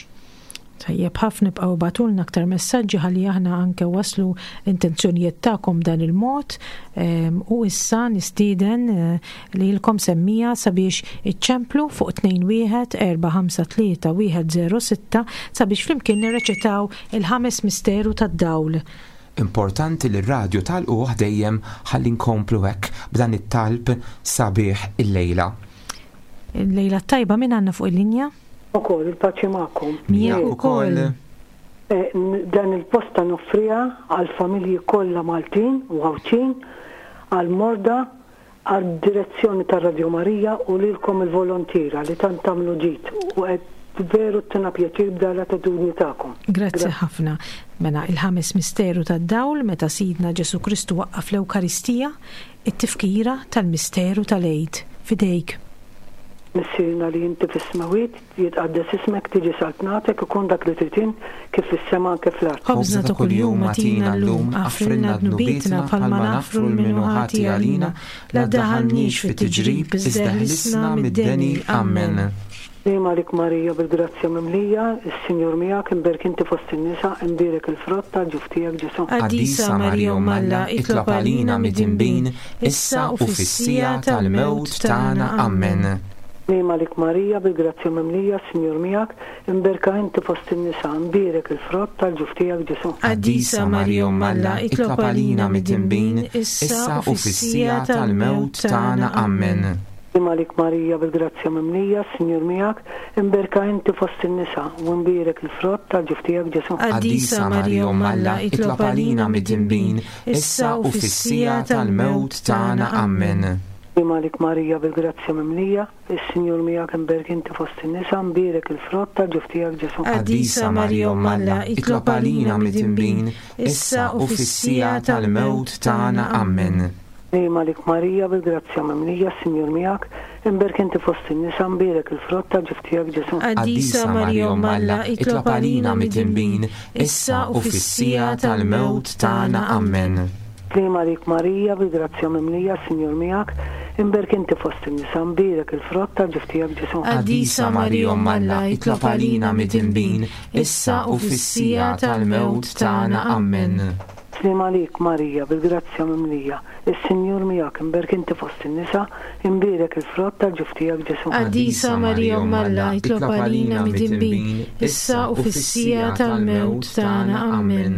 Tajjeb ħafna ibqgħu ibagħtulna aktar messaġġi ħalli aħna anke waslu l-intenzjonijiet tagħkom dan il-mod ehm, u issa nistieden eh, lilkom semmija sabiex iċċemplu fuq 21 453 106 sabiex flimkien nirreċitaw il-ħames misteru tad-dawl. Importanti li r-radju tagħlquh dejjem ħalli nkomplu hekk b'dan it-talb sabiħ illejla. Il-lejla t-tajba min għandna fuq il-linja? Ukoll, il-paċi magħkom. Miegħek ukoll. Dan il-posta noffriha għall-familji kollha Maltin u Għawdxin, għall-morda, għad-direzzjoni ta' Radio Marija u lilkom il-volontiera li tant tagħmlu ġid u qed veru ttina pjaċir b'dan l-attitudni tagħkom. Grazzi ħafna. Mela, il-ħames misteru tad-dawl meta Sidna Ġesù Kristu waqqaf l-Ewkaristija, it-tifkira tal-misteru tal-Għid. F'idejk. Missierna li inti fis-smewwiet, jitqaddes ismek, tiġi saltnatek, ikun dak li trid int, kif fis-sema anke fl-art. Ħobżna ta' kuljum agħtina llum, aħfrilna dnubietna bħalma naħfru 'l min hu ħati għalina, la ddaħħalniex fit-tiġrib, iżda eħlisna mid-deni. Ammen. Sliem għalik Marija bil-grazzja mimlija, is-Sinjur miegħek, imberk inti fost in-nisa, imbierek il-frott tal-ġuf tiegħek Ġesù. Qaddisa Marija Omm Alla, itlob għalina midinbin, issa u fis-siegħa tal-mewt tagħna. Ammen. Sliem għalik Marija bil-grazzja mimlija, is-Sinjur miegħek, imberka inti fost in-nisa, imbierek il-frott tal-ġuf tiegħek Ġesù. Qaddisa Marija Omm Alla, itlob għalina midinbin, issa u fis-siegħa tal-mewt tagħna. Ammen. Sliem għalik Marija bil-grazzja mimlija, s-Sinjur miegħek, imberka inti fost in-nisa, u imbierek il-frott tal-ġuf tiegħek Ġesù. Qaddisa Marija Omm Alla, itlob għalina midinbin, issa u fis-siegħa tal-mewt tagħna. Ammen. Sliem għalik Marija bil-grazzja mimlija, is-Sinjur miegħek, imberk inti fost in-nisa, imbierek il-frott tal-ġuf tiegħek Ġesù. Qaddisa Marija Omm Alla, itlob għalina midinbin, issa u fis-siegħa tal-mewt tagħna. Ammen. Sliem għalik Marija bil-grazzja mimlija s-Sinjur miegħek, imberk inti fost in-nisa mbierek il-frott tal-ġuf tiegħek Ġesù. Qaddisa Marija Omm Alla, itlob għalina midinbin, issa u fis-siegħa tal-mewt tagħna. Ammen. Sliem għalik Marija bil-grazzja mimlija s-Sinjur miegħek, imberk inti fost in-nisa mbierek il-frott tal-ġuf tiegħek Ġesù. Qaddisa Marija Omm Alla, itlob għalina midinbin, issa u fis-siegħa tal-mewt tagħna. Ammen. Sliem għalik, Marija, bil-grazzja mimlija, is-Sinjur miegħek, imberk inti fost in-nisa, imbierek il-frott tal-ġuf tiegħek, Ġesù. Qaddisa Marija Omm Alla, itlob għalina midinbin, issa u fis-siegħa tal-mewt tagħna. Ammen.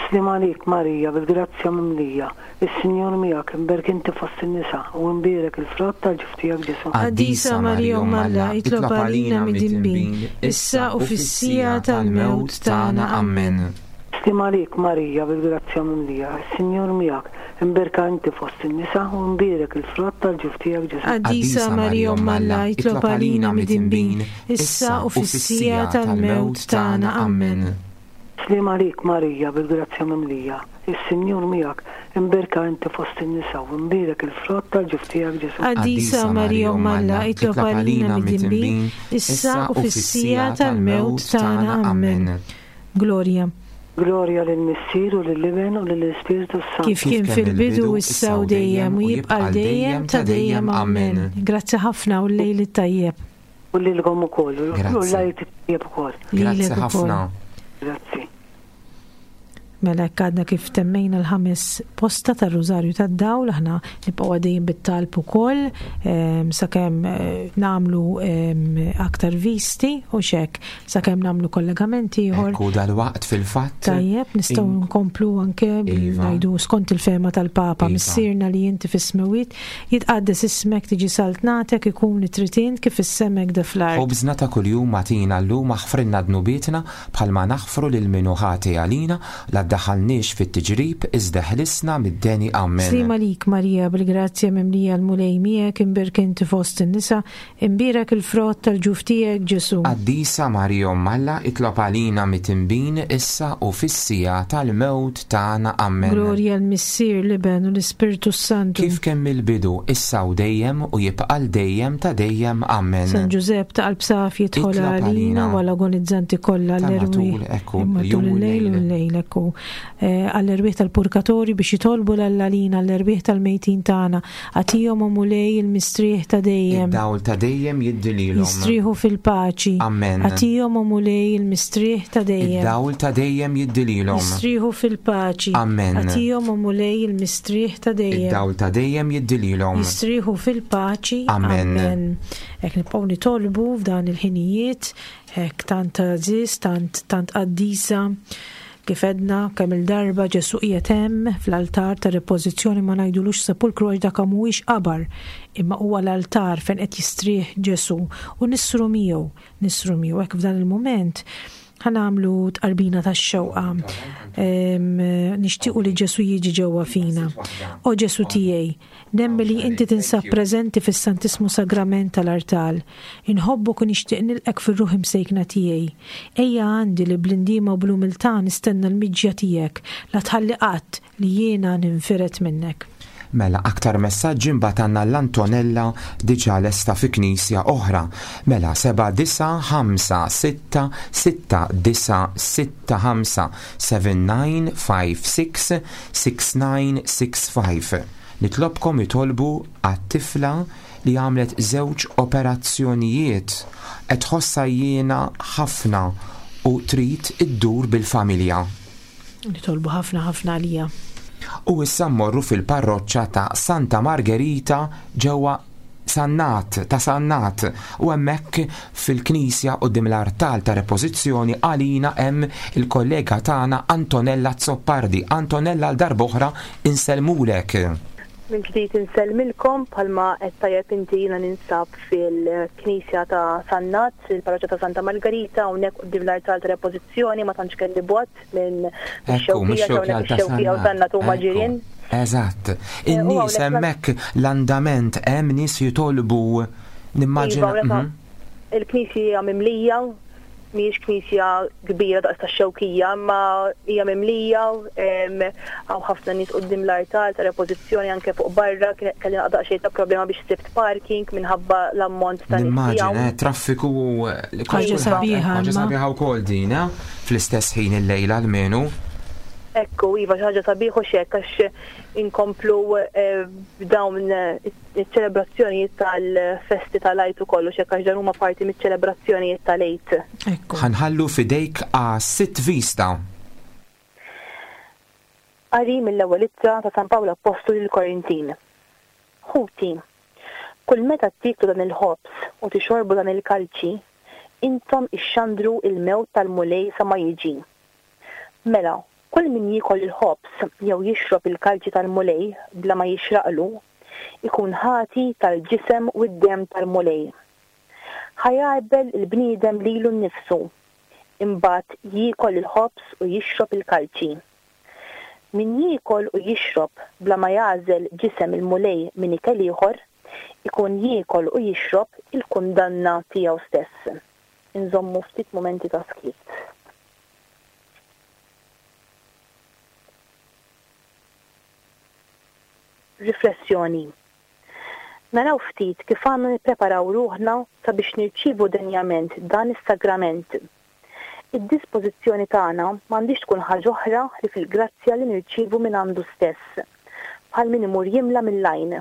Sliem għalik, Marija, bil-grazzja mimlija, is-Sinjur miegħek, imberk inti fost in-nisa, u imbierek il-frott tal-ġuf tiegħek, Ġesù. Qaddisa Marija Omm Alla, itlob għalina midinbin, issa u fis-siegħa tal-mewt tagħna. Ammen. Sliem għalik, Marija, bil-grazzja mimlija, is-Sinjur miegħek, imberka inti fost in-nisa, u imbierek il-frott tal-ġuf tiegħek, Ġesù. Qaddisa Marija Omm Alla, itlob għalina midinbin, issa u fis-siegħa tal-mewt tagħna. Ammen. Sliem għalik, Marija, bil-grazzja mimlija, is-Sinjur miegħek, imberka inti fost in-nisa, u imbierek il-frott tal-ġuf tiegħek, Ġesù. Qaddisa Marija Omm Alla, itlob għalina midinbin, issa u fis-siegħa tal-mewt tagħna. Ammen. Glorja. Glorja lill-Missier u lill-Iben u lill-Ispirtu s-Santu. Kif kien fil-bidu, issa u dejjem, u jibqa' għal dejjem ta' dejjem. Amen. Grazzi ħafna u l-lejl it-tajjeb. U lilkom ukoll, u l-lejl it-tajjeb ukoll. Grazzi ħafna. Grazzi. Mela hekk għadna kif temmejna l-ħames posta tar-Rużarju tad-Dawl, aħna nibqgħu għaddejjin bit-talb ukoll ehm, sakemm eh, nagħmlu ehm, aktar visti u xek sakemm nagħmlu kollegament ieħor. Ekku dal-waqt fil-fatt. Tajjeb, nistgħu nkomplu anke iva. ngħidu skont il-fema tal-Papa, iva. Missierna li inti fis-smewwiet, jitqaddes ismek tiġi saltnatek ikun li trid int kif is-semek da fl-art. Ħobżna ta' kuljum agħtina llum aħfrilna dnubietna Bħalma naħfru lil min hu ħati għalina, la ddaħħalniex fit-tiġrib, iżda eħlisna mid-deni. Ammen. Sliem għalik, Marija, bil-grazzja mimlija l-Mulej miegħek, imbierka inti fost in-nisa, imbierek il-frott tal-ġuf tiegħek, Ġesù. Qaddisa Marija Omm Alla, itlob għalina mitinbin, issa u fis-siegħa tal-mewt tagħna. Ammen. Glorja l-Missier, l-Iben u l-Ispirtu s-Santu. Kif kien mill-bidu, issa u dejjem, u jibqa' għal dejjem ta' dejjem. Ammen. San Ġużepp ta' qalb safi idħol Itlob għalina għalina. u għall-agonizzanti kollha Ta' l-erwieħ matul, ekku, matul il-jum u il-lejl u l-lejl. l-lejl, ekku. eh, għall-erwieħ tal-purkatorju biex jitolbu 'l Alla għalina għall-erwieħ tal-mejtin tagħna. Agħtihom, o Mulej, il-mistrieħ ta' dejjem. Id-dawl ta' dejjem jiddi lilhom. Jistrieħu fil-paċi. Amen. Agħtihom, o Mulej, il-mistrieħ ta' dejjem. Id-dawl ta' dejjem jiddi lilhom. Jistrieħu fil-paċi. Amen. Agħtihom, o Mulej, il-mistrieħ ta' dejjem. Id-dawl ta' dejjem jiddi lilhom. Jistrieħu fil-paċi. Amen. Amen. Hekk nibqgħu nitolbu f'dan il-ħinijiet, hekk tant għażiż, tant tant qaddisa. Kif għedna kemm-il darba Ġesù qiegħed hemm fl-altar ta' repożizzjoni ma ngħidulux sepulkru għax dak mhuwiex qabar, imma huwa l-altar fejn qed jistrieħ Ġesù u nissru miegħu, nissru miegħu. Hekk f'dan il-mument ħa nagħmlu tqarbina tax-xewqa. Nixtiequ li Ġesù jiġi ġewwa fina. O Ġesù tiegħi, Nemmen li inti tinsab preżenti fis-Santissmu Sagrament tal-artal. Inħobbok u nixtieq nilqgħek fir-ruħ imsejkna tiegħi. Ejja għandi li bl-indiema u bl-umiltà nistenna l-miġja tiegħek, la tħalli qatt li jiena ninfired minnek. Mela aktar messaġġi mbagħad għandna l-Antonella diġà lesta fi knisja oħra. Mela 7 9 5 6 6 9 6 5 7 9 5 6 6965. Nitlobkom itolbu għat-tifla li għamlet żewġ operazzjonijiet qed tħossha għajjiena ħafna u trid iddur bil-familja. Nitolbu ħafna ħafna għaliha. U issa mmorru fil-parroċċa ta' Santa Margherita ġewwa Sannat, ta' Sannat, u hemmhekk fil-knisja quddiem l-artal ta' repożizzjoni għalina hemm il-kollega tagħna Antonella Azzopardi. Antonella għal darb'oħra insellmulek. Mill-ġdid insellmilkom, bħalma għedt tajjeb inti jiena ninsab fil-knisja ta' Sannat, il-parroċċa ta' Santa Margarita, hawnhekk quddiem l-artal ta' repożizzjoni ma tantx kelli bogħod. minn Ekku, mix-Xewkija, mix-Xewkija hawnhekk ta' ix-Xewkija u Sannat. Sannat huma Ekku. ġirien. Eżatt. Eh, u In-nies hawnhekk hemmhekk l-andament hemm nies jitolbu Iva, nimmaġina. hawnhekk Mhm. il-knisja hija mimlija, mhijiex knisja kbira daqs tax-Xewkija, imma hija mimlija, em, hawn ħafna nies quddiem l-artal ta' repożizzjoni anke fuq barra, kien kelli daqsxejn ta' problema biex sibt parking minħabba l-ammont ta' nies li Nimmaġina, hawn. eh, traffiku u eh, li Ħaġa kulħadd sabiħa ħaġa imma. sabiħa wkoll din, eh? Fl-istess ħin illejla almenu. Ekku, iva, xi ħaġa sabiħ u x'hekk għax inkomplu b'dawn iċ-ċelebrazzjonijiet tal-festi tal-Għid ukoll u x'hekk għax dan huma parti miċ-ċelebrazzjonijiet tal-Għid. Ekku. Ħa nħallu f'idejk għas-sitt vista. Qari mill-Ewwel Ittra ta' San Pawl Appostlu lill-Korintin. Ħuti, kull meta tieklu dan il-ħobż u tixorbu dan il-kalċi, intom ixxandru l-mewt tal-Mulej sa ma jiġi. Mela, kull min jiekol il-ħobż jew jixrob il-kalċi tal-Mulej bla ma jixraqlu, ikun ħati tal-ġisem u d-demm tal-Mulej. Ħa jgħarbel il-bniedem lilu nnifsu, imbagħad jiekol il-ħobż u jixrob il-kalċi. Min jiekol u jixrob bla ma jagħżel ġisem il-Mulej minn ikel ieħor, ikun jiekol u jixrob il-kundanna tiegħu stess. Inżommu ftit mumenti ta' skiet. Riflessjoni, Naraw ftit kif għandna nippreparaw ruħna sabiex nirċievu denjament dan is-sagrament. Id-dispożizzjoni tagħna m'għandhiex tkun ħaġa oħra ħlief il-grazzja li nirċievu mingħandu stess, bħal min imur jimla mill-għajn.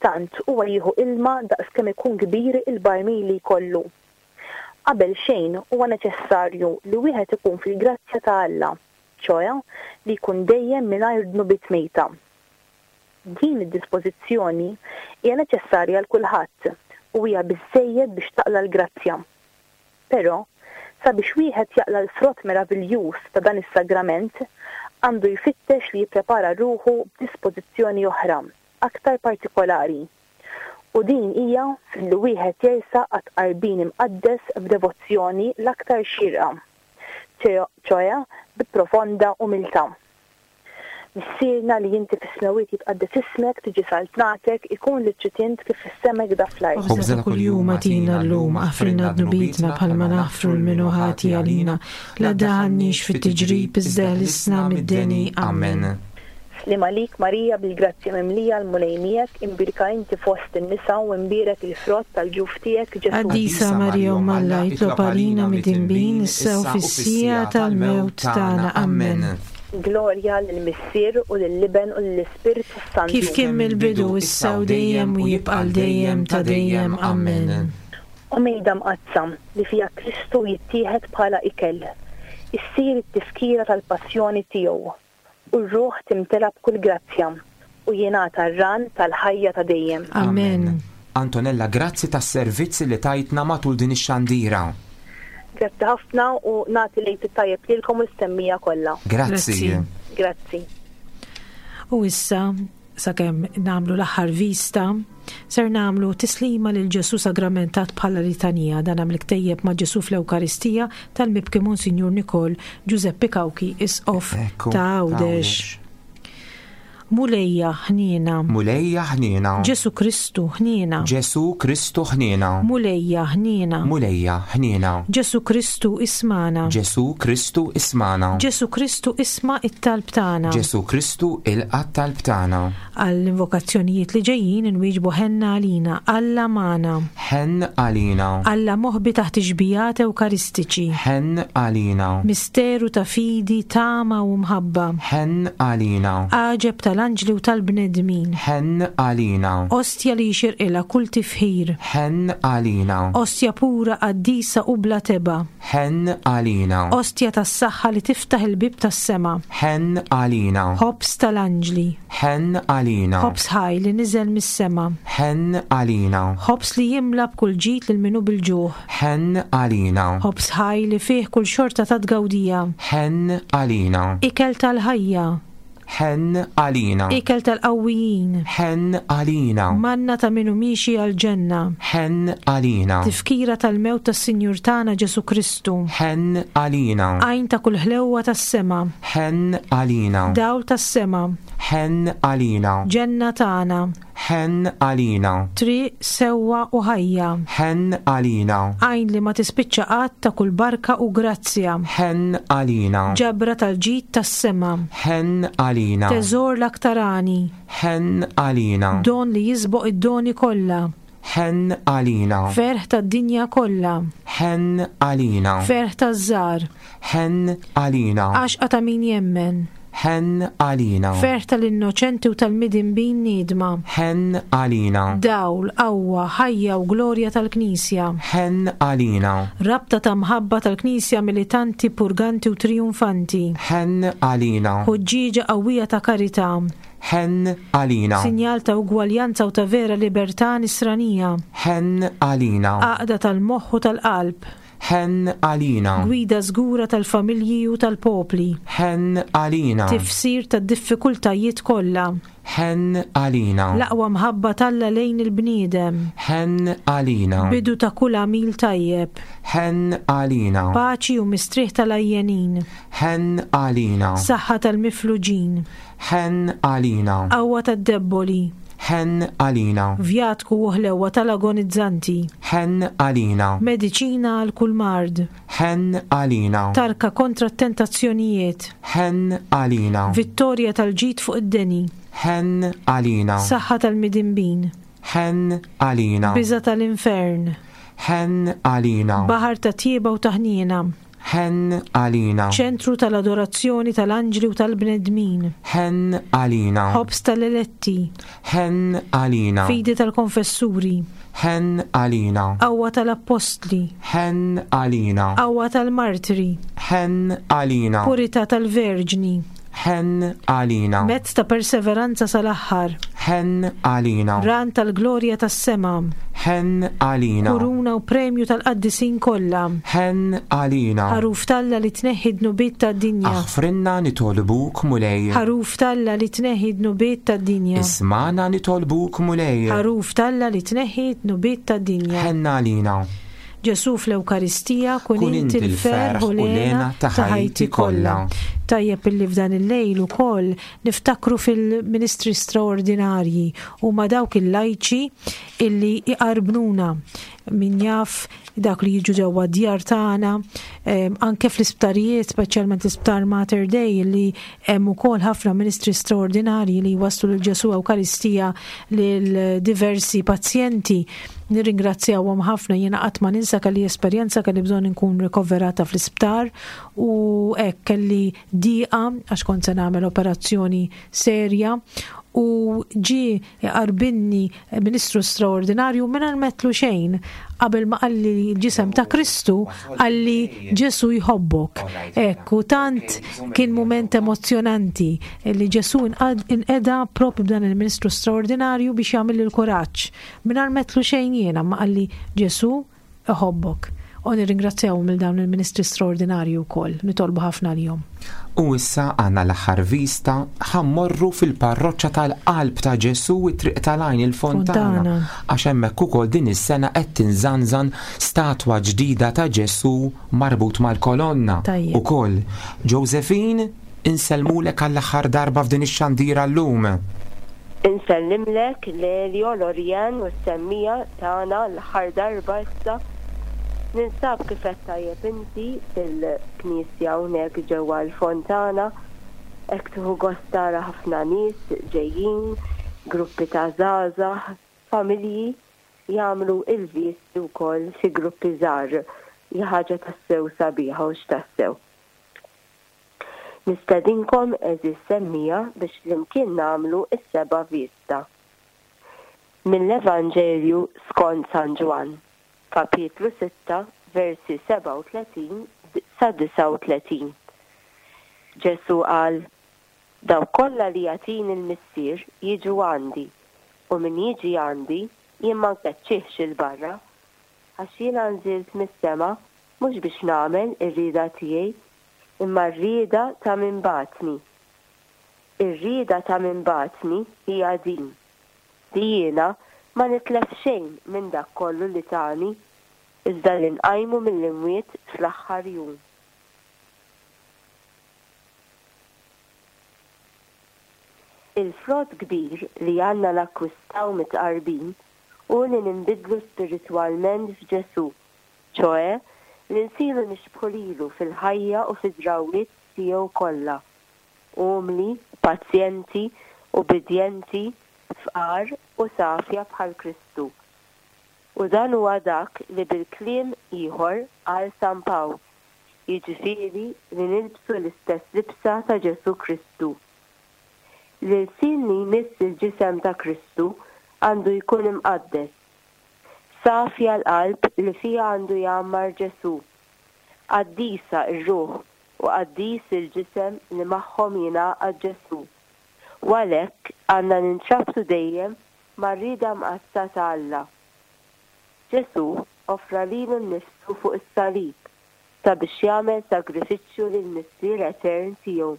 Tant huwa jieħu ilma daqs kemm ikun kbir il-barmil li jkollu. Qabel xejn huwa neċessarju li wieħed ikun fil-grazzja ta' Alla, ċoe li jkun dejjem mingħajr dnubiet mejta. Din id-dispożizzjoni hija neċessarja għal kulħadd u hija biżżejjed biex taqla' l-grazzja. Però, sabiex wieħed jaqla' l-frott meraviljuż ta' dan is-sagrament, għandu jfittex li jipprepara ruħu b'dispożizzjoni oħra, aktar partikolari. U din hija filli wieħed jersaq għat-tqarbin imqaddes b'devozzjoni l-aktar xierqa, ċoe bi profonda umiltà. Missierna li inti fis-smewwiet jitqaddes ismek, tiġi saltnatek, ikun li trid int kif fis-sema hekk fl-art. Ħobżna ta' kuljum agħtina llum, aħfrilna dnubietna bħalma naħfru 'l min hu ħati għalina. La ddaħħalniex fit-tiġrib iżda eħlisna mid-deni. Amen. Sliem għalik Marija bil-grazzja mimlija l-Mulej miegħek, imbierka inti fost in-nisa u imbierek il-frott tal-ġuf tiegħek Ġesù. Qaddisa Marija Omm Alla, itlob għalina midinbin, issa u fis-siegħa tal-mewt tagħna. Amen. Glorja lill-Missier u lill-Iben u lill-Ispirtu s-Santu. Kif kien mill-bidu, issa u dejjem u jibqa' għal dejjem ta' dejjem. Amen. O Mejda Mqaddsa, li fiha Kristu jittieħed bħala ikel, issir it-tifkira tal-passjoni tiegħu, u r-ruħ timtela b'kull grazzja, u jingħata r-ran tal-ħajja ta' dejjem. Amen. Antonella, grazzi tas-servizz li tajtna matul din ix-xandira. Grazzi ħafna u nagħti l-Għid it-tajjeb lilkom u lis-semmiegħa kollha. Grazzi. Grazzi. U issa, sakemm nagħmlu l-aħħar vista, ser nagħmlu tislima lil Ġesù sagramentat bħala litanija dan mill-ktejjeb ma' Ġesù fl-Ewkaristija tal-mibki Monsinjur Nikol Ġużeppi Cauchi, Isqof ta' Għawdex. Mulejja, ħniena. Mulejja, ħniena. Ġesù Kristu, ħniena. Ġesù Kristu, ħniena. Mulejja, ħniena. Mulejja, ħniena. Ġesù Kristu, ismagħna. Ġesù Kristu, ismagħna. Ġesù Kristu, isma' t-talb tagħna. Ġesù Kristu, ilqa' t-talb tagħna. Għall-invokazzjonijiet li ġejjin inwieġbu Ħenna għalina, Alla magħna. Ħenn għalina. Alla moħbi taħt ix-xbijat Ewkaristiċi. Ħenn għalina. Misteru ta' fidi, tama u mħabba. Ħenn għalina. Għaġeb tal-anġli u tal-bnedmin. Ħenn għalina. Ostja li jixirqilha kull tifħir. Ħenn għalina. Ostja pura, qaddisa u bla tebgħa. Ħenn għalina. Ostja tas-saħħa li tiftaħ il-bieb tas-sema. Ħenn għalina. Ħobż tal-anġli. Ħenn għalina. Ħobż ħaj li niżel mis-sema. Ħenn għalina. Ħobż li jimla b'kull ġid lil min hu bil-ġuħ. Ħenn għalina. Ħobż ħaj li fih kull xorta ta' tgawdija. Ħenn għalina. Ikel tal-ħajja. Ħenn għalina. Ikel tal-qawwijin. Ħenn għalina. Manna ta' min hu miexi għall-ġenna. Ħenn għalina. Tifkira tal-mewt tas-Sinjur tagħna Ġesù Kristu. Ħenn għalina. Għajn ta' kull ħlewwa tas-sema. Ħenn għalina. Dawl tas-sema. Ħenn għalina. Ġenna tagħna. Ħenn għalina. Triq, sewwa u ħajja. Ħenn għalina. Għajn li ma tispiċċa qatt ta' kull barka u grazzja. Ħenn għalina. Ġabra tal-ġid tas-sema. Ħenn għalina. Teżor l-aktar għani. Ħenn għalina. Don li jisboq id-doni kollha. Ħenn għalina. Ferħ tad-dinja kollha. Ħenn għalina. Ferħ taż-żgħar. Ħenn għalina. Għaxqa ta' min jemmen. Ħenn għalina. Ferħ tal-innoċenti u tal-midinbin niedma. Ħenn għalina. Dawl, qawwa, ħajja u glorja tal-Knisja. Ħenn għalina. Rabta ta' mħabba tal-Knisja militanti, purganti u trijunfanti. Ħenn għalina. Ħuġġieġa qawwija ta' karità. Ħenn għalina. Sinjal ta' ugwaljanza u ta' vera libertà nisranija. Ħenn għalina. Għaqda tal-moħħ u tal-qalb. Ħenn għalina. Gwida żgura tal-familji u tal-popli. Ħenn għalina. Tifsir tad-diffikultajiet kollha. Ħenn għalina. L-aqwa mħabba t'Alla lejn il-bniedem. Ħenn għalina. Bidu ta' kull għamil tajjeb. Ħenn għalina. Paċi u mistrieħ tal-għajjenin. Ħenn għalina. Saħħa tal-mifluġin. Ħenn għalina. Qawwa tad-debboli. Ħenn għalina. Vjatku u ħlewwa tal-agonizzanti. Ħenn għalina. Mediċina għal kull mard. Ħenn għalina. Tarka kontra t-tentazzjonijiet. Ħenn għalina. Vittorja tal-ġid fuq id-deni. Ħenn għalina. Saħħa tal-midinbin. Ħenn għalina. Biża' tal-infern. Ħenn għalina. Baħar ta' tjieba u ta' ħniena. Ħenn għalina. Ċentru tal-adorazzjoni tal-anġli u tal-bnedmin. Ħenn għalina. Ħobż tal-eletti. Ħenn għalina. Fidi tal-konfessuri. Ħenn għalina. Qawwa tal-appostli. Ħenn għalina. Qawwa tal-martri. Ħenn għalina. Purità tal-verġni. Ħenn għalina. Mezz ta' perseveranza sal-aħħar. Ħenn għalina. Ran tal-glorja tas-sema. Ħenn għalina. Kuruna u premju tal-qaddisin kollha. Ħenn għalina. Ħaruf t'Alla li tneħħi d-dnubiet tad-dinja. Aħfrilna nitolbuk Mulej. Ħaruf t'Alla li tneħħi d-dnubiet tad-dinja. Ismagħna nitolbuk Mulej. Ħaruf t'Alla li tneħħi d-dnubiet tad-dinja. Ħenn għalina. Ġesù fl-Ewkaristija, kun inti l-ferħ u l-hena ta' ħajti kollha. Tajjeb illi f'dan il-lejl ukoll niftakru fil-ministri straordinarji huma dawk il-lajċi illi iqarbnuna min jaf dak li jiġu ġewwa d-djar tagħna, anke fl-isptarijiet, speċjalment l-isptar Mater Dei li hemm ukoll ħafna ministri straordinarji li jwasslu lil Ġesù Ewkaristija lil diversi pazjenti. Nirringrazzjawhom ħafna jiena qatt ma ninsa kelli esperjenza kelli bżonn inkun rikoverata fl-isptar u hekk kelli diqa għax kont se nagħmel operazzjoni serja u ġie iqarbinni ministru straordinarju mingħajr m'għedtlu xejn qabel ma qalli l-ġisem ta' Kristu qalli Ġesu jħobbok. Hekk u tant kien mument emozzjonanti li Ġesu inqeda propju b'dan il-ministru straordinarju biex jagħmilli l-kuraġġ. Mingħajr m'għedtlu xejn jiena ma qalli Ġesu iħobbok. U nirringrazzjawhom lil dawn il-ministri straordinarji wkoll, nitolbu ħafna għalihom. U issa għandna l-aħħar vista, ħa mmorru fil-parroċċa tal-Qalb ta' Ġesù it-Triq tal-Għajn il-Fontana, għax hemmhekk ukoll din is-sena qed tinżanżan statwa ġdida ta' Ġesù marbut mal-kolonna ukoll. Josephine, insellmulek għall-aħħar darba f'din ix-xandira llum. Insellimlek Lelio, Lorianne u s-semmiegħa tagħna l-aħħar darba issa. Ninsab kif għedt tajjeb inti fil-knisja hawnhekk ġewwa l-Fontana. Hekk tieħu gost tara ħafna nies ġejjin, gruppi ta' żgħażagħ, familji jagħmlu l-visti wkoll fi gruppi żgħar. Hi ħaġa tassew sabiħa hux tassew. Nistedinkom għeżież semmiegħa biex flimkien nagħmlu s-seba' vista. Mill-Evanġelju skont San Ġwann, kapitlu sitta, versi 37 sa 39. Ġesù qal, Dawk kollha li jagħtini l-Missier jiġu għandi, u min jiġi għandi jien ma nkeċċihx 'il barra. Għax jiena nżilt mis-sema mhux biex nagħmel ir-rieda tiegħi, imma r-rieda ta' min bagħatni. Ir-rieda ta' min bagħatni hija din, li jiena ma nitlef xejn minn dak kollu li tani, iżda li nqajmu mill-imwiet fl-aħħar jum. Il-frott kbir li għandna nakkwistaw mit-tqarbin hu li ninbidlu spiritwalment f'Ġesù, ċoè, li nsiru nixbħu lilu fil-ħajja u fid-drawwiet tiegħu kollha, umli, pazjenti, ubbidjenti, fqar u safja bħal Kristu. U dan huwa dak li bil-kliem ieħor qal San Pawl, jiġifieri li nilbsu l-istess libsa ta' Ġesù Kristu. L-ilsien li jmiss il-ġisem ta' Kristu għandu jkun imqaddes. Safja l-qalb li fiha għandu jgħammar Ġesù. Qaddisa r-ruħ u qaddis il-ġisem li magħhom jingħaqad Ġesù. U għalhekk għandna nintrabtu dejjem mar-rieda mqaddsa ta' Alla. Ġesù offra lilu nnifsu fuq is-salib sabiex jagħmel sagrifiċċju lill-Missier Etern tiegħu.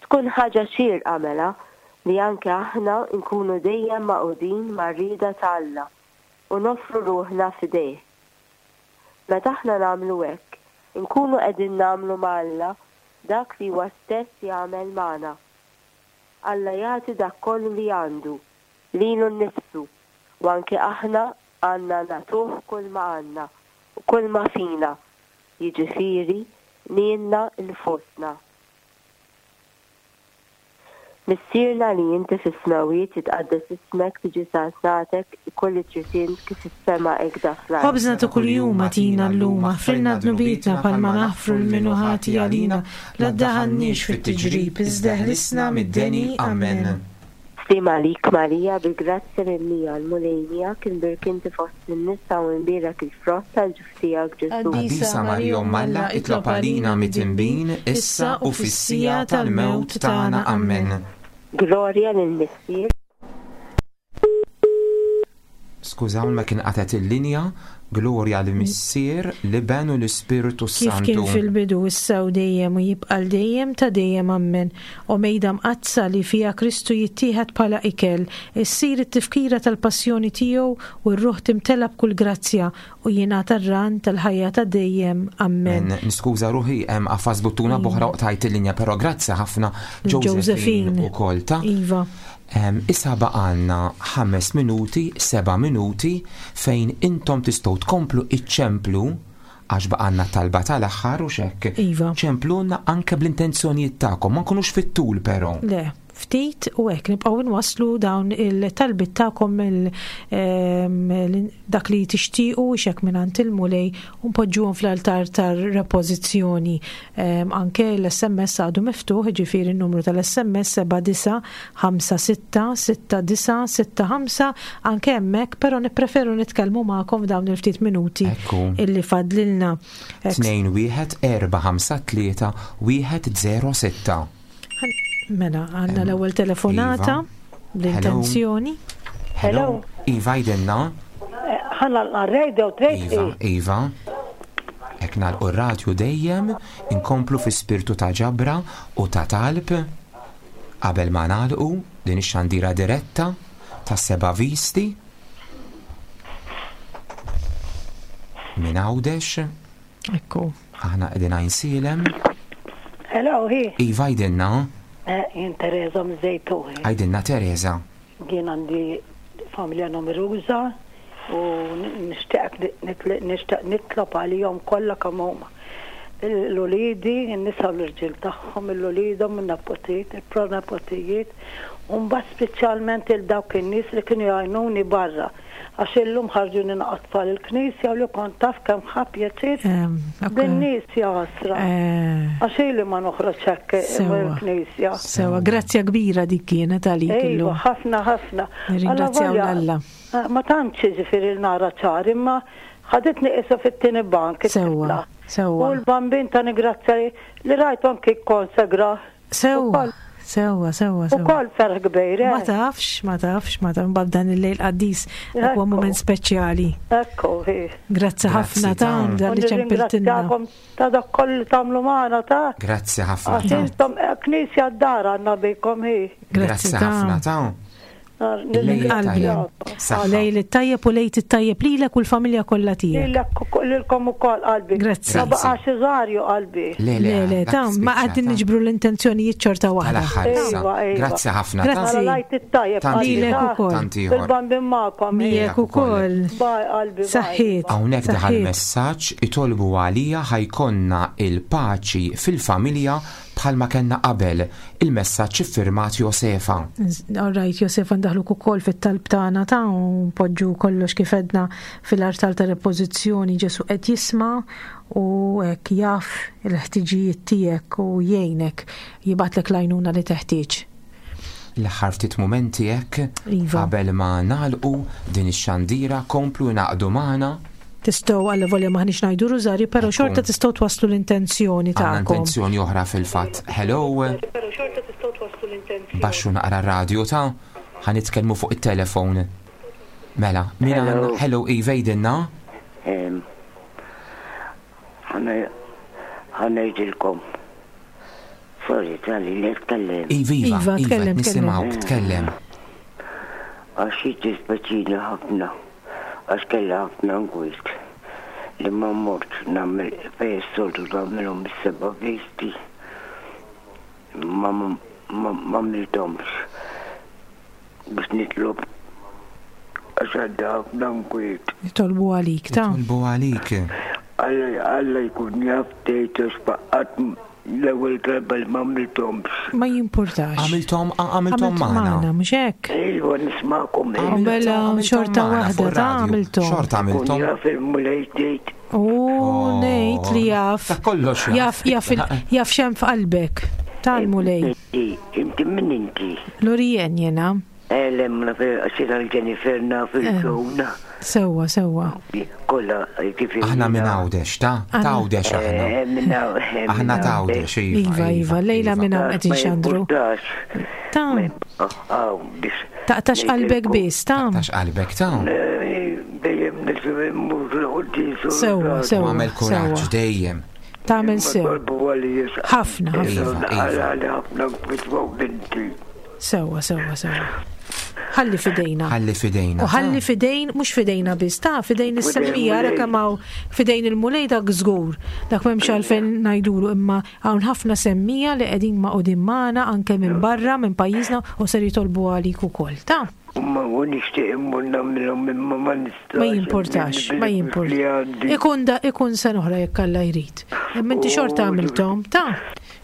Tkun ħaġa xierqa mela li anke aħna nkunu dejjem magħqudin mar-rieda ta' Alla u noffru ruħna f'idejh. Meta aħna nagħmlu hekk, inkunu qegħdin nagħmlu ma' Alla dak li huwa stess jagħmel magħna. Alla jagħti dak kollu li għandu, lilu nnifsu, u anke aħna għandna nagħtuh kulma għandna u kulma fina, jiġifieri lilna nfusna. Missierna li inti fis-smewwiet jitqaddes ismek tiġi saltnatek ikun li trid int kif fis-sema hekk da fl-art. Ħobżna ta' kuljum agħtina llum, aħfrilna dnubietna bħalma naħfru 'l min hu ħati għalina, la ddaħħalniex fit-tiġrib, iżda eħlisna mid-deni. Amen. Sliem għalik Marija, bil-grazzja mimlija, l-Mulej miegħek, imbierk inti fost in-nisa u imbierek il-frott tal-ġuf tiegħek Ġesù. Qaddisa Marija Omm Alla, itlob għalina midinbin, issa u fis-siegħa tal-mewt tagħna. Ammen. Glorja lill-Missier. Skużawna kien qatgħet il-linja, Glorja lill-Missier, l-Iben u l-Ispirtu Kif s-Santu. kien fil-bidu, issa u dejjem u jibqa' 'l dejjem ta' dejjem. Ammen. O mejda mqaddsa li fiha Kristu jittieħed bħala ikel, issir it-tifkira tal-passjoni tiegħu u r-ruħ timtela b'kull grazzja u jingħata r-ran tal-ħajja ta' dejjem. Ammen. Niskuża ruħi, hemm qafas buttuna b'oħra u qtajt il-linja, però grazzi ħafna Josephine ukoll ta'. Iva. Issa baqgħalna ħames minuti, seba' minuti fejn intom tistgħu tkomplu iċċemplu għax baqgħalna talba tal-aħħar u x'hekk. Iva. Ċemplulna anke bl-intenzjonijiet tagħkom, ma nkunux fit-tul però. Le. ftit u hekk nibqgħu nwasslu dawn il-talbiet tagħkom dak li tixtiequ xek mingħand il-Mulej u npoġġuhom fl-altar tar-repożizzjoni. Anke l-SMS għadu miftuħ, jiġifieri n-numru tal-SMS 79566965 anke hemmhekk, però nippreferu nitkellmu magħkom f'dawn il-ftit minuti illi fadlilna. 2 1 4 5 3 1 0 6. Mela, għandna l-ewwel telefonata iva. l-intenzjoni. Hello. Iva jdenna. Eh, ħanna l-radio trejt. Iva, Iva. Ek nagħlqu r-radju dejjem inkomplu fi spirtu ta' ġabra u ta' talb qabel ma nagħlqu din ix-xandira diretta ta' seba' visti minn Għawdex. Ekku. Aħna qegħdin Għajnsielem. Hello, hi. Iva għidilna. Eh, jien Teresa miż-Żejtun. Għidilna Teresa. Jien għandi familja numeruża u nixtieq nixtieq nitlob għalihom kollha kemm huma. L-uliedi, in-nisa u l-irġiel tagħhom, l-uliedhom, in-nepotijiet, il-pronepotijiet, u mbagħad speċjalment il dawk in-nies li kienu jgħinuni barra. Għax illum ħarġuni naqgħod tfal il-knisja u li kont taf kemm ħa pjaċir bin-nies ja ħasra. Għax ili ma noħroġ hekk mill-knisja. Sewa, grazzja kbira dik kienet għalik illum. Iva, ħafna ħafna. Nirringrazzjaw 'l Alla. Ma tantx jiġifieri nara ċar imma ħaditni qisu fit-tieni bank it-tifla. Sewwa. U l-bambin ta' ningrazzja li rajtu anki kkonsegra Sewwa, sewwa, sewwa, sewwa. Ukoll ferħ kbir, eh? Ma tafx, ma tafx, ma tafx, mbagħad dan il-lejl qaddis dak huwa mument speċjali. Ekku, hi. Grazzi ħafna ta' dan li ċempiltilna. Ta' dak kollu li tagħmlu magħna ta'. Grazzi ħafna. Għax intom eh, knisja d-dar għandna bikom hi. Grazzi ħafna ta' Minn qalbi. Lejl it-tajjeb u lejt it-tajjeb lilek u l-familja kollha tiegħek. Lilek lilkom ukoll qalbi. Grazzi. Ma baqax iżarju qalbi. Le le, le, ta' ma qegħdin niġbru l-intenzjonijiet xorta waħda. Iva, iva. Grazzi ħafna. Grazzi. Lejt it-tajjeb lilek ukoll. Il-bambin magħkom. Miegħek ukoll. Bye qalbi. Saħħiet. Hawnhekk daħal messaġġ itolbu għalija ħajkonna il-paċi fil-familja Bħalma kellna qabel, il-messaġġ iffirmat Josefa. All right, Josefa ndaħluk ukoll fit-talb tagħna ta' u npoġġu kollox kif għedna fil-artal ta' repożizzjoni Ġesu qed jisma' u hekk jaf il-ħtiġijiet tiegħek u jgħinek jibgħatlek l-għajnuna li teħtieġ. L-aħħar ftit mumenti hekk Iva. qabel ma nagħlqu din ix-xandira komplu ingħaqdu magħna. Tistgħu alla volja maħniex ngħidu rużarju, però xorta tistgħu twasslu l-intenzjoni Għandna tagħkom. intenzjoni oħra fil-fatt. Hello. Baxxu naqra r-radju ta' ħa nitkellmu fuq it-telefon. Mela, min għandna? Hello, Iva jgħidilna. Ħa ngħidilkom. Sorry, Charlie, li tkellem. Iva, iva, Iva, iva, tkellem, nisimgħuk, tkellem. Għax jiddispjaċini ħafna, għax kelli ħafna nkwiet li ma mortx nagħmel fejn is-soltu tagħmilhom is-seba' visti. Ma ma għamilthomx biex nitlob għax għadda ħafna nkwiet. Nitolbu għalik, ta'. Nitolbu għalik. Alla Alla jkun jaf tgħid għax qatt l-ewwel darba li m'għamilthomx. Ma jimpurtax. Għamilthom għamilthom Għamilt magħna. magħna, mhux hekk? Ejwa nismagħkom. U mela xorta magħna waħda fuq ta' ir-radju. għamilthom. Xorta Kun għamilthom. jaf il-Mulej tgħid. U ngħid li jaf. Ta' kollox jaf. Jaf jaf xem f'qalbek. Tal-Mulej. Inti, inti min inti? Lorien jena. Eh, le, ma naf, għax jiena l-Jennifer naf il-Joan. Sewwa, sewwa. Kollha, ġifieri. Aħna minn Għawdex, ta' ta' Għawdex aħna. Eh, minn Għawdex. Aħna ta' Għawdex, iva. Iva, iva, lejla minn hawn qed inxandru. Ta' Taqtax qalbek biss, ta' Taqtax qalbek, ta' Dejjem nisimgħu l-quddies. Sewwa, sewwa. U għamel kuraġġ dejjem. Tagħmel sew. Ħafna, ħafna. Sewwa, sewwa, sewwa. Ħalli fidejna. Ħalli fidejna. U ħalli fidejn, mhux fidejna biss, ta' fidejn is-semmija ara kemm hawn fidejn il-Mulej dak żgur. Dak m'hemmx għalfejn ngħidulu imma hawn ħafna semmija li qegħdin magħqudin magħna anke minn barra minn pajjiżna u ser jitolbu għalik ukoll. Ta' Imma u nixtieq immur nagħmilhom imma ma nistax. Ma jimpurtax, ma jimpurtax. Ikun da ikun sena oħra jekk Alla jrid. Imma inti xorta għamilthom, ta'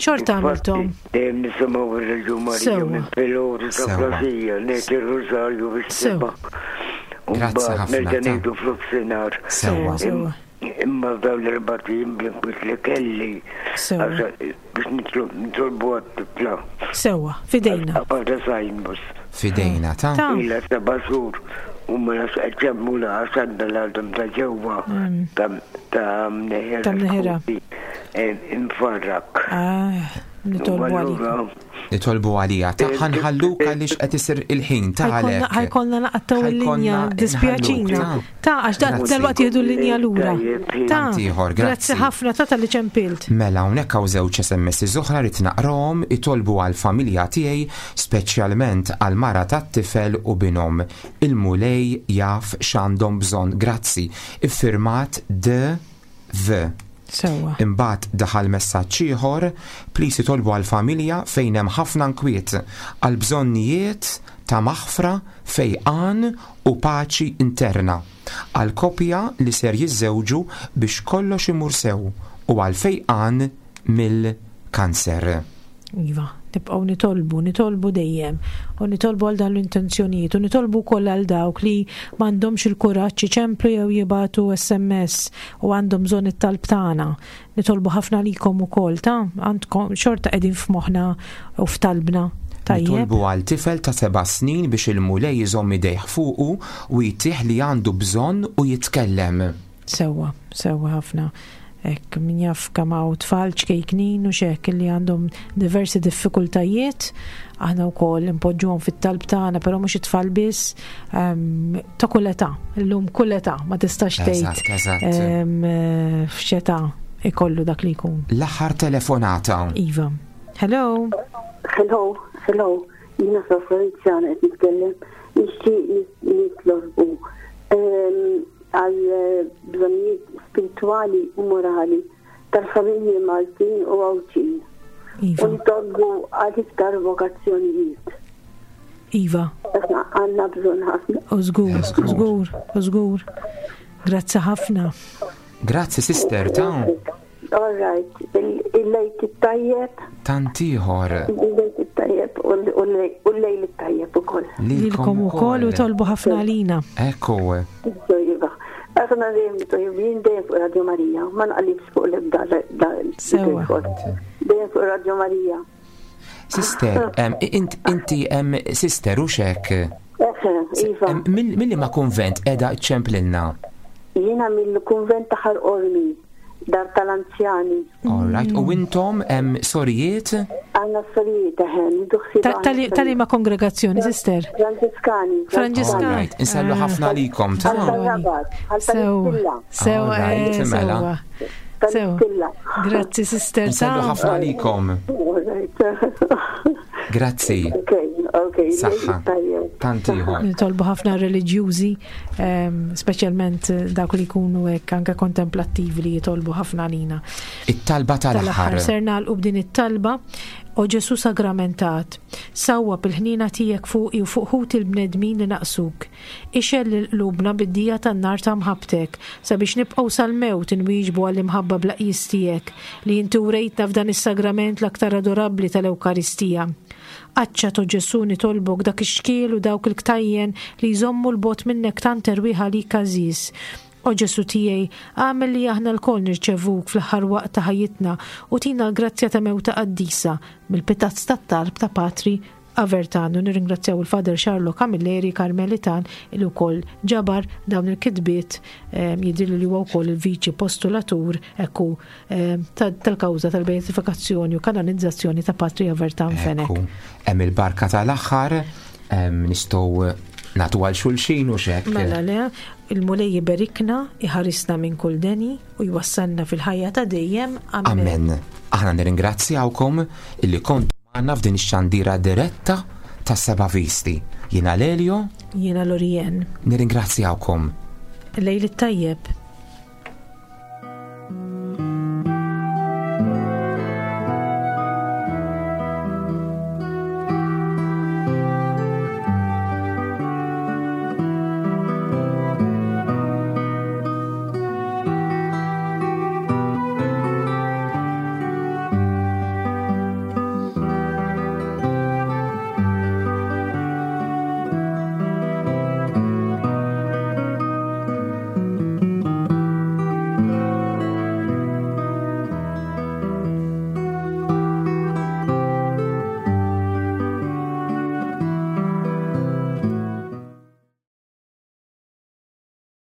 Xorta għamilthom. Dejjem nisimgħu ir-Reġu Marija minn filgħodu sa filgħaxija, ngħid ir-Rużarju fis-sebgħa. U mbagħad nerġa' ngħidu f'nofsinhar. Sewwa. Imma f'dawn l-erbat ijiem bl-inkwiet li kelli biex nitolbu għat-tifla. Sewwa, f'idejna. Għadha Sinus. F'idejna, ta'. Ilha seba' xhur u ma nafx qed jagħmlulha għax għandha l-għadam ta' ġewwa ta' mneħira. Ta' mneħira. Imfarrak. Ah, nitolbu għalik. Nitolbu għalija. Ta' ħanħalluk għaliex qed isir il-ħin ta' għalhekk. Ħajkollna naqattaw il-linja dispjaċina. Ta' għax dal-waqt jieħdu l-linja lura. Ta' ieħor, grazzi ħafna ta' tal-li ċempilt. Mela hawnhekk hawn żewġ SMS oħra rrid naqrahom itolbu għall-familja tiegħi speċjalment għall-mara tat-tifel u binhom. Il-Mulej jaf x'għandhom bżonn. Grazzi. Iffirmat D. V. Sewwa. Imbagħad daħal messaġġ ieħor, Please itolbu għall-familja fejn hemm ħafna nkwiet, għal bżonnijiet ta' maħfra, fejqan u paċi interna, għal koppja li ser jiżżewġu biex kollox imur sew u għal fejqan mill-kanser. Iva, nibqgħu nitolbu, nitolbu dejjem, u nitolbu għal dawn l-intenzjonijiet, u nitolbu wkoll għal dawk li m'għandhomx il-kuraġġ iċemplu jew jibagħtu SMS u għandhom bżonn it-talb tagħna. Nitolbu ħafna għalikom ukoll, ta' għandkom xorta qegħdin f'moħħna u f'talbna. Tajjeb. Nitolbu għal tifel ta' seba' snin biex il-Mulej iżomm idejh fuqu u jtih li għandu bżonn u jitkellem. Sewwa, sewwa ħafna. Hekk, min jaf kemm hawn tfal ċkejknin u x'hekk li għandhom diversi diffikultajiet, aħna wkoll inpoġġuhom fit-talb tagħna, però mhux it-tfal biss, ehm, ta' kull età, illum kull età, ma tistax tgħid ehm, f'x'età ikollu dak li jkun. L-aħħar telefonata. Iva. Hello. Hello, hello. Jiena Sor Feliciana qed nitkellem. Nixtieq nitlobbu ehm, għal bżonnijiet spiritwali u morali tal-familji Maltin u Għawdxin. Iva. U nitolbu għal iktar vokazzjonijiet. Iva. Aħna għandna bżonn ħafna. U żgur, żgur, u żgur. Grazzi ħafna. Grazzi sister ta' All right, il-lejt it-tajjeb. Tant ieħor. Il-lejt it-tajjeb u l-lejl it-tajjeb ukoll. Lilkom ukoll u tolbu ħafna għalina. Ekku. Iva. Aħna dejjem jien dejjem fuq Radio Marija, ma nqalibx fuq l-ebda Sewa. Dejjem fuq Radio Marija. Sister, inti sister u xek? Iva. Milli ma konvent edha ċemplilna? Jiena mill-kunvent ta' Ħal Qormi, dar tal-anzjani. All right, u intom hemm sorijiet? Għandna sorijiet eħe, nieħdu ħsieb aħna. Ta' liema kongregazzjoni, sister? Franġiskani. Franġiskani. All right, insellu ħafna għalikom. Għal tal-Rabat, għal tal-Istilla. Sew, mela. Sew. Grazzi, sister. Insellu ħafna għalikom. Grazzi. Ok, ok. Saħħa. Tant ieħor. Nitolbu ħafna reliġjużi, ehm, speċjalment dawk li jkunu hekk anke kontemplattivi li jitolbu ħafna għalina. It-talba tal-aħħar. Ser nagħlqu b'din it-talba. O Ġesu sagramentat, sawwab il-ħniena tiegħek fuqi u fuq ħuti l-bnedmin li naqsuk. Ixgħel lil qlubna bid-dija tan-nar ta' mħabbtek, sabiex nibqgħu sal-mewt inwieġbu għall-imħabba bla qjies tiegħek, li inti wrejtna f'dan is-sagrament l-aktar adorabbli tal-Ewkaristija. Qaċċat, o Ġesù, nitolbok, dak ix-xkiel u dawk il-ktajjen li jżommu 'l bogħod minnek tant erwieħ għalik għażiż. O Ġesù tiegħi, agħmel li aħna lkoll nirċevuk fl-aħħar waqt ta' ħajjitna u tina l-grazzja ta' mewta qaddisa, mill-pitazz tat-talb ta' Patri Avertan u nirringrazzjaw il-Father Charlo Camilleri Karmelitan li wkoll ġabar dawn il-kitbiet ehm, jidhirli li huwa wkoll il-viċi postulatur ekku ehm, tal-kawża tal-beatifikazzjoni u kanonizzazzjoni ta' Patri Avertan Fenech. Hemm il-barka tal-aħħar ehm, nistgħu nagħtu għal xulxin u xek. Mela le, il-Mulej iberikna, iħarisna minn kull deni u jwassalna fil-ħajja ta' dejjem. Amen. Amen. Aħna nirringrazzjawkom illi kontu magħna f'din ix-xandira diretta ta' Seba' Visti. Jiena Lelio. Jiena Lorien. Nirringrazzjawkom. Lejl it-tajjeb.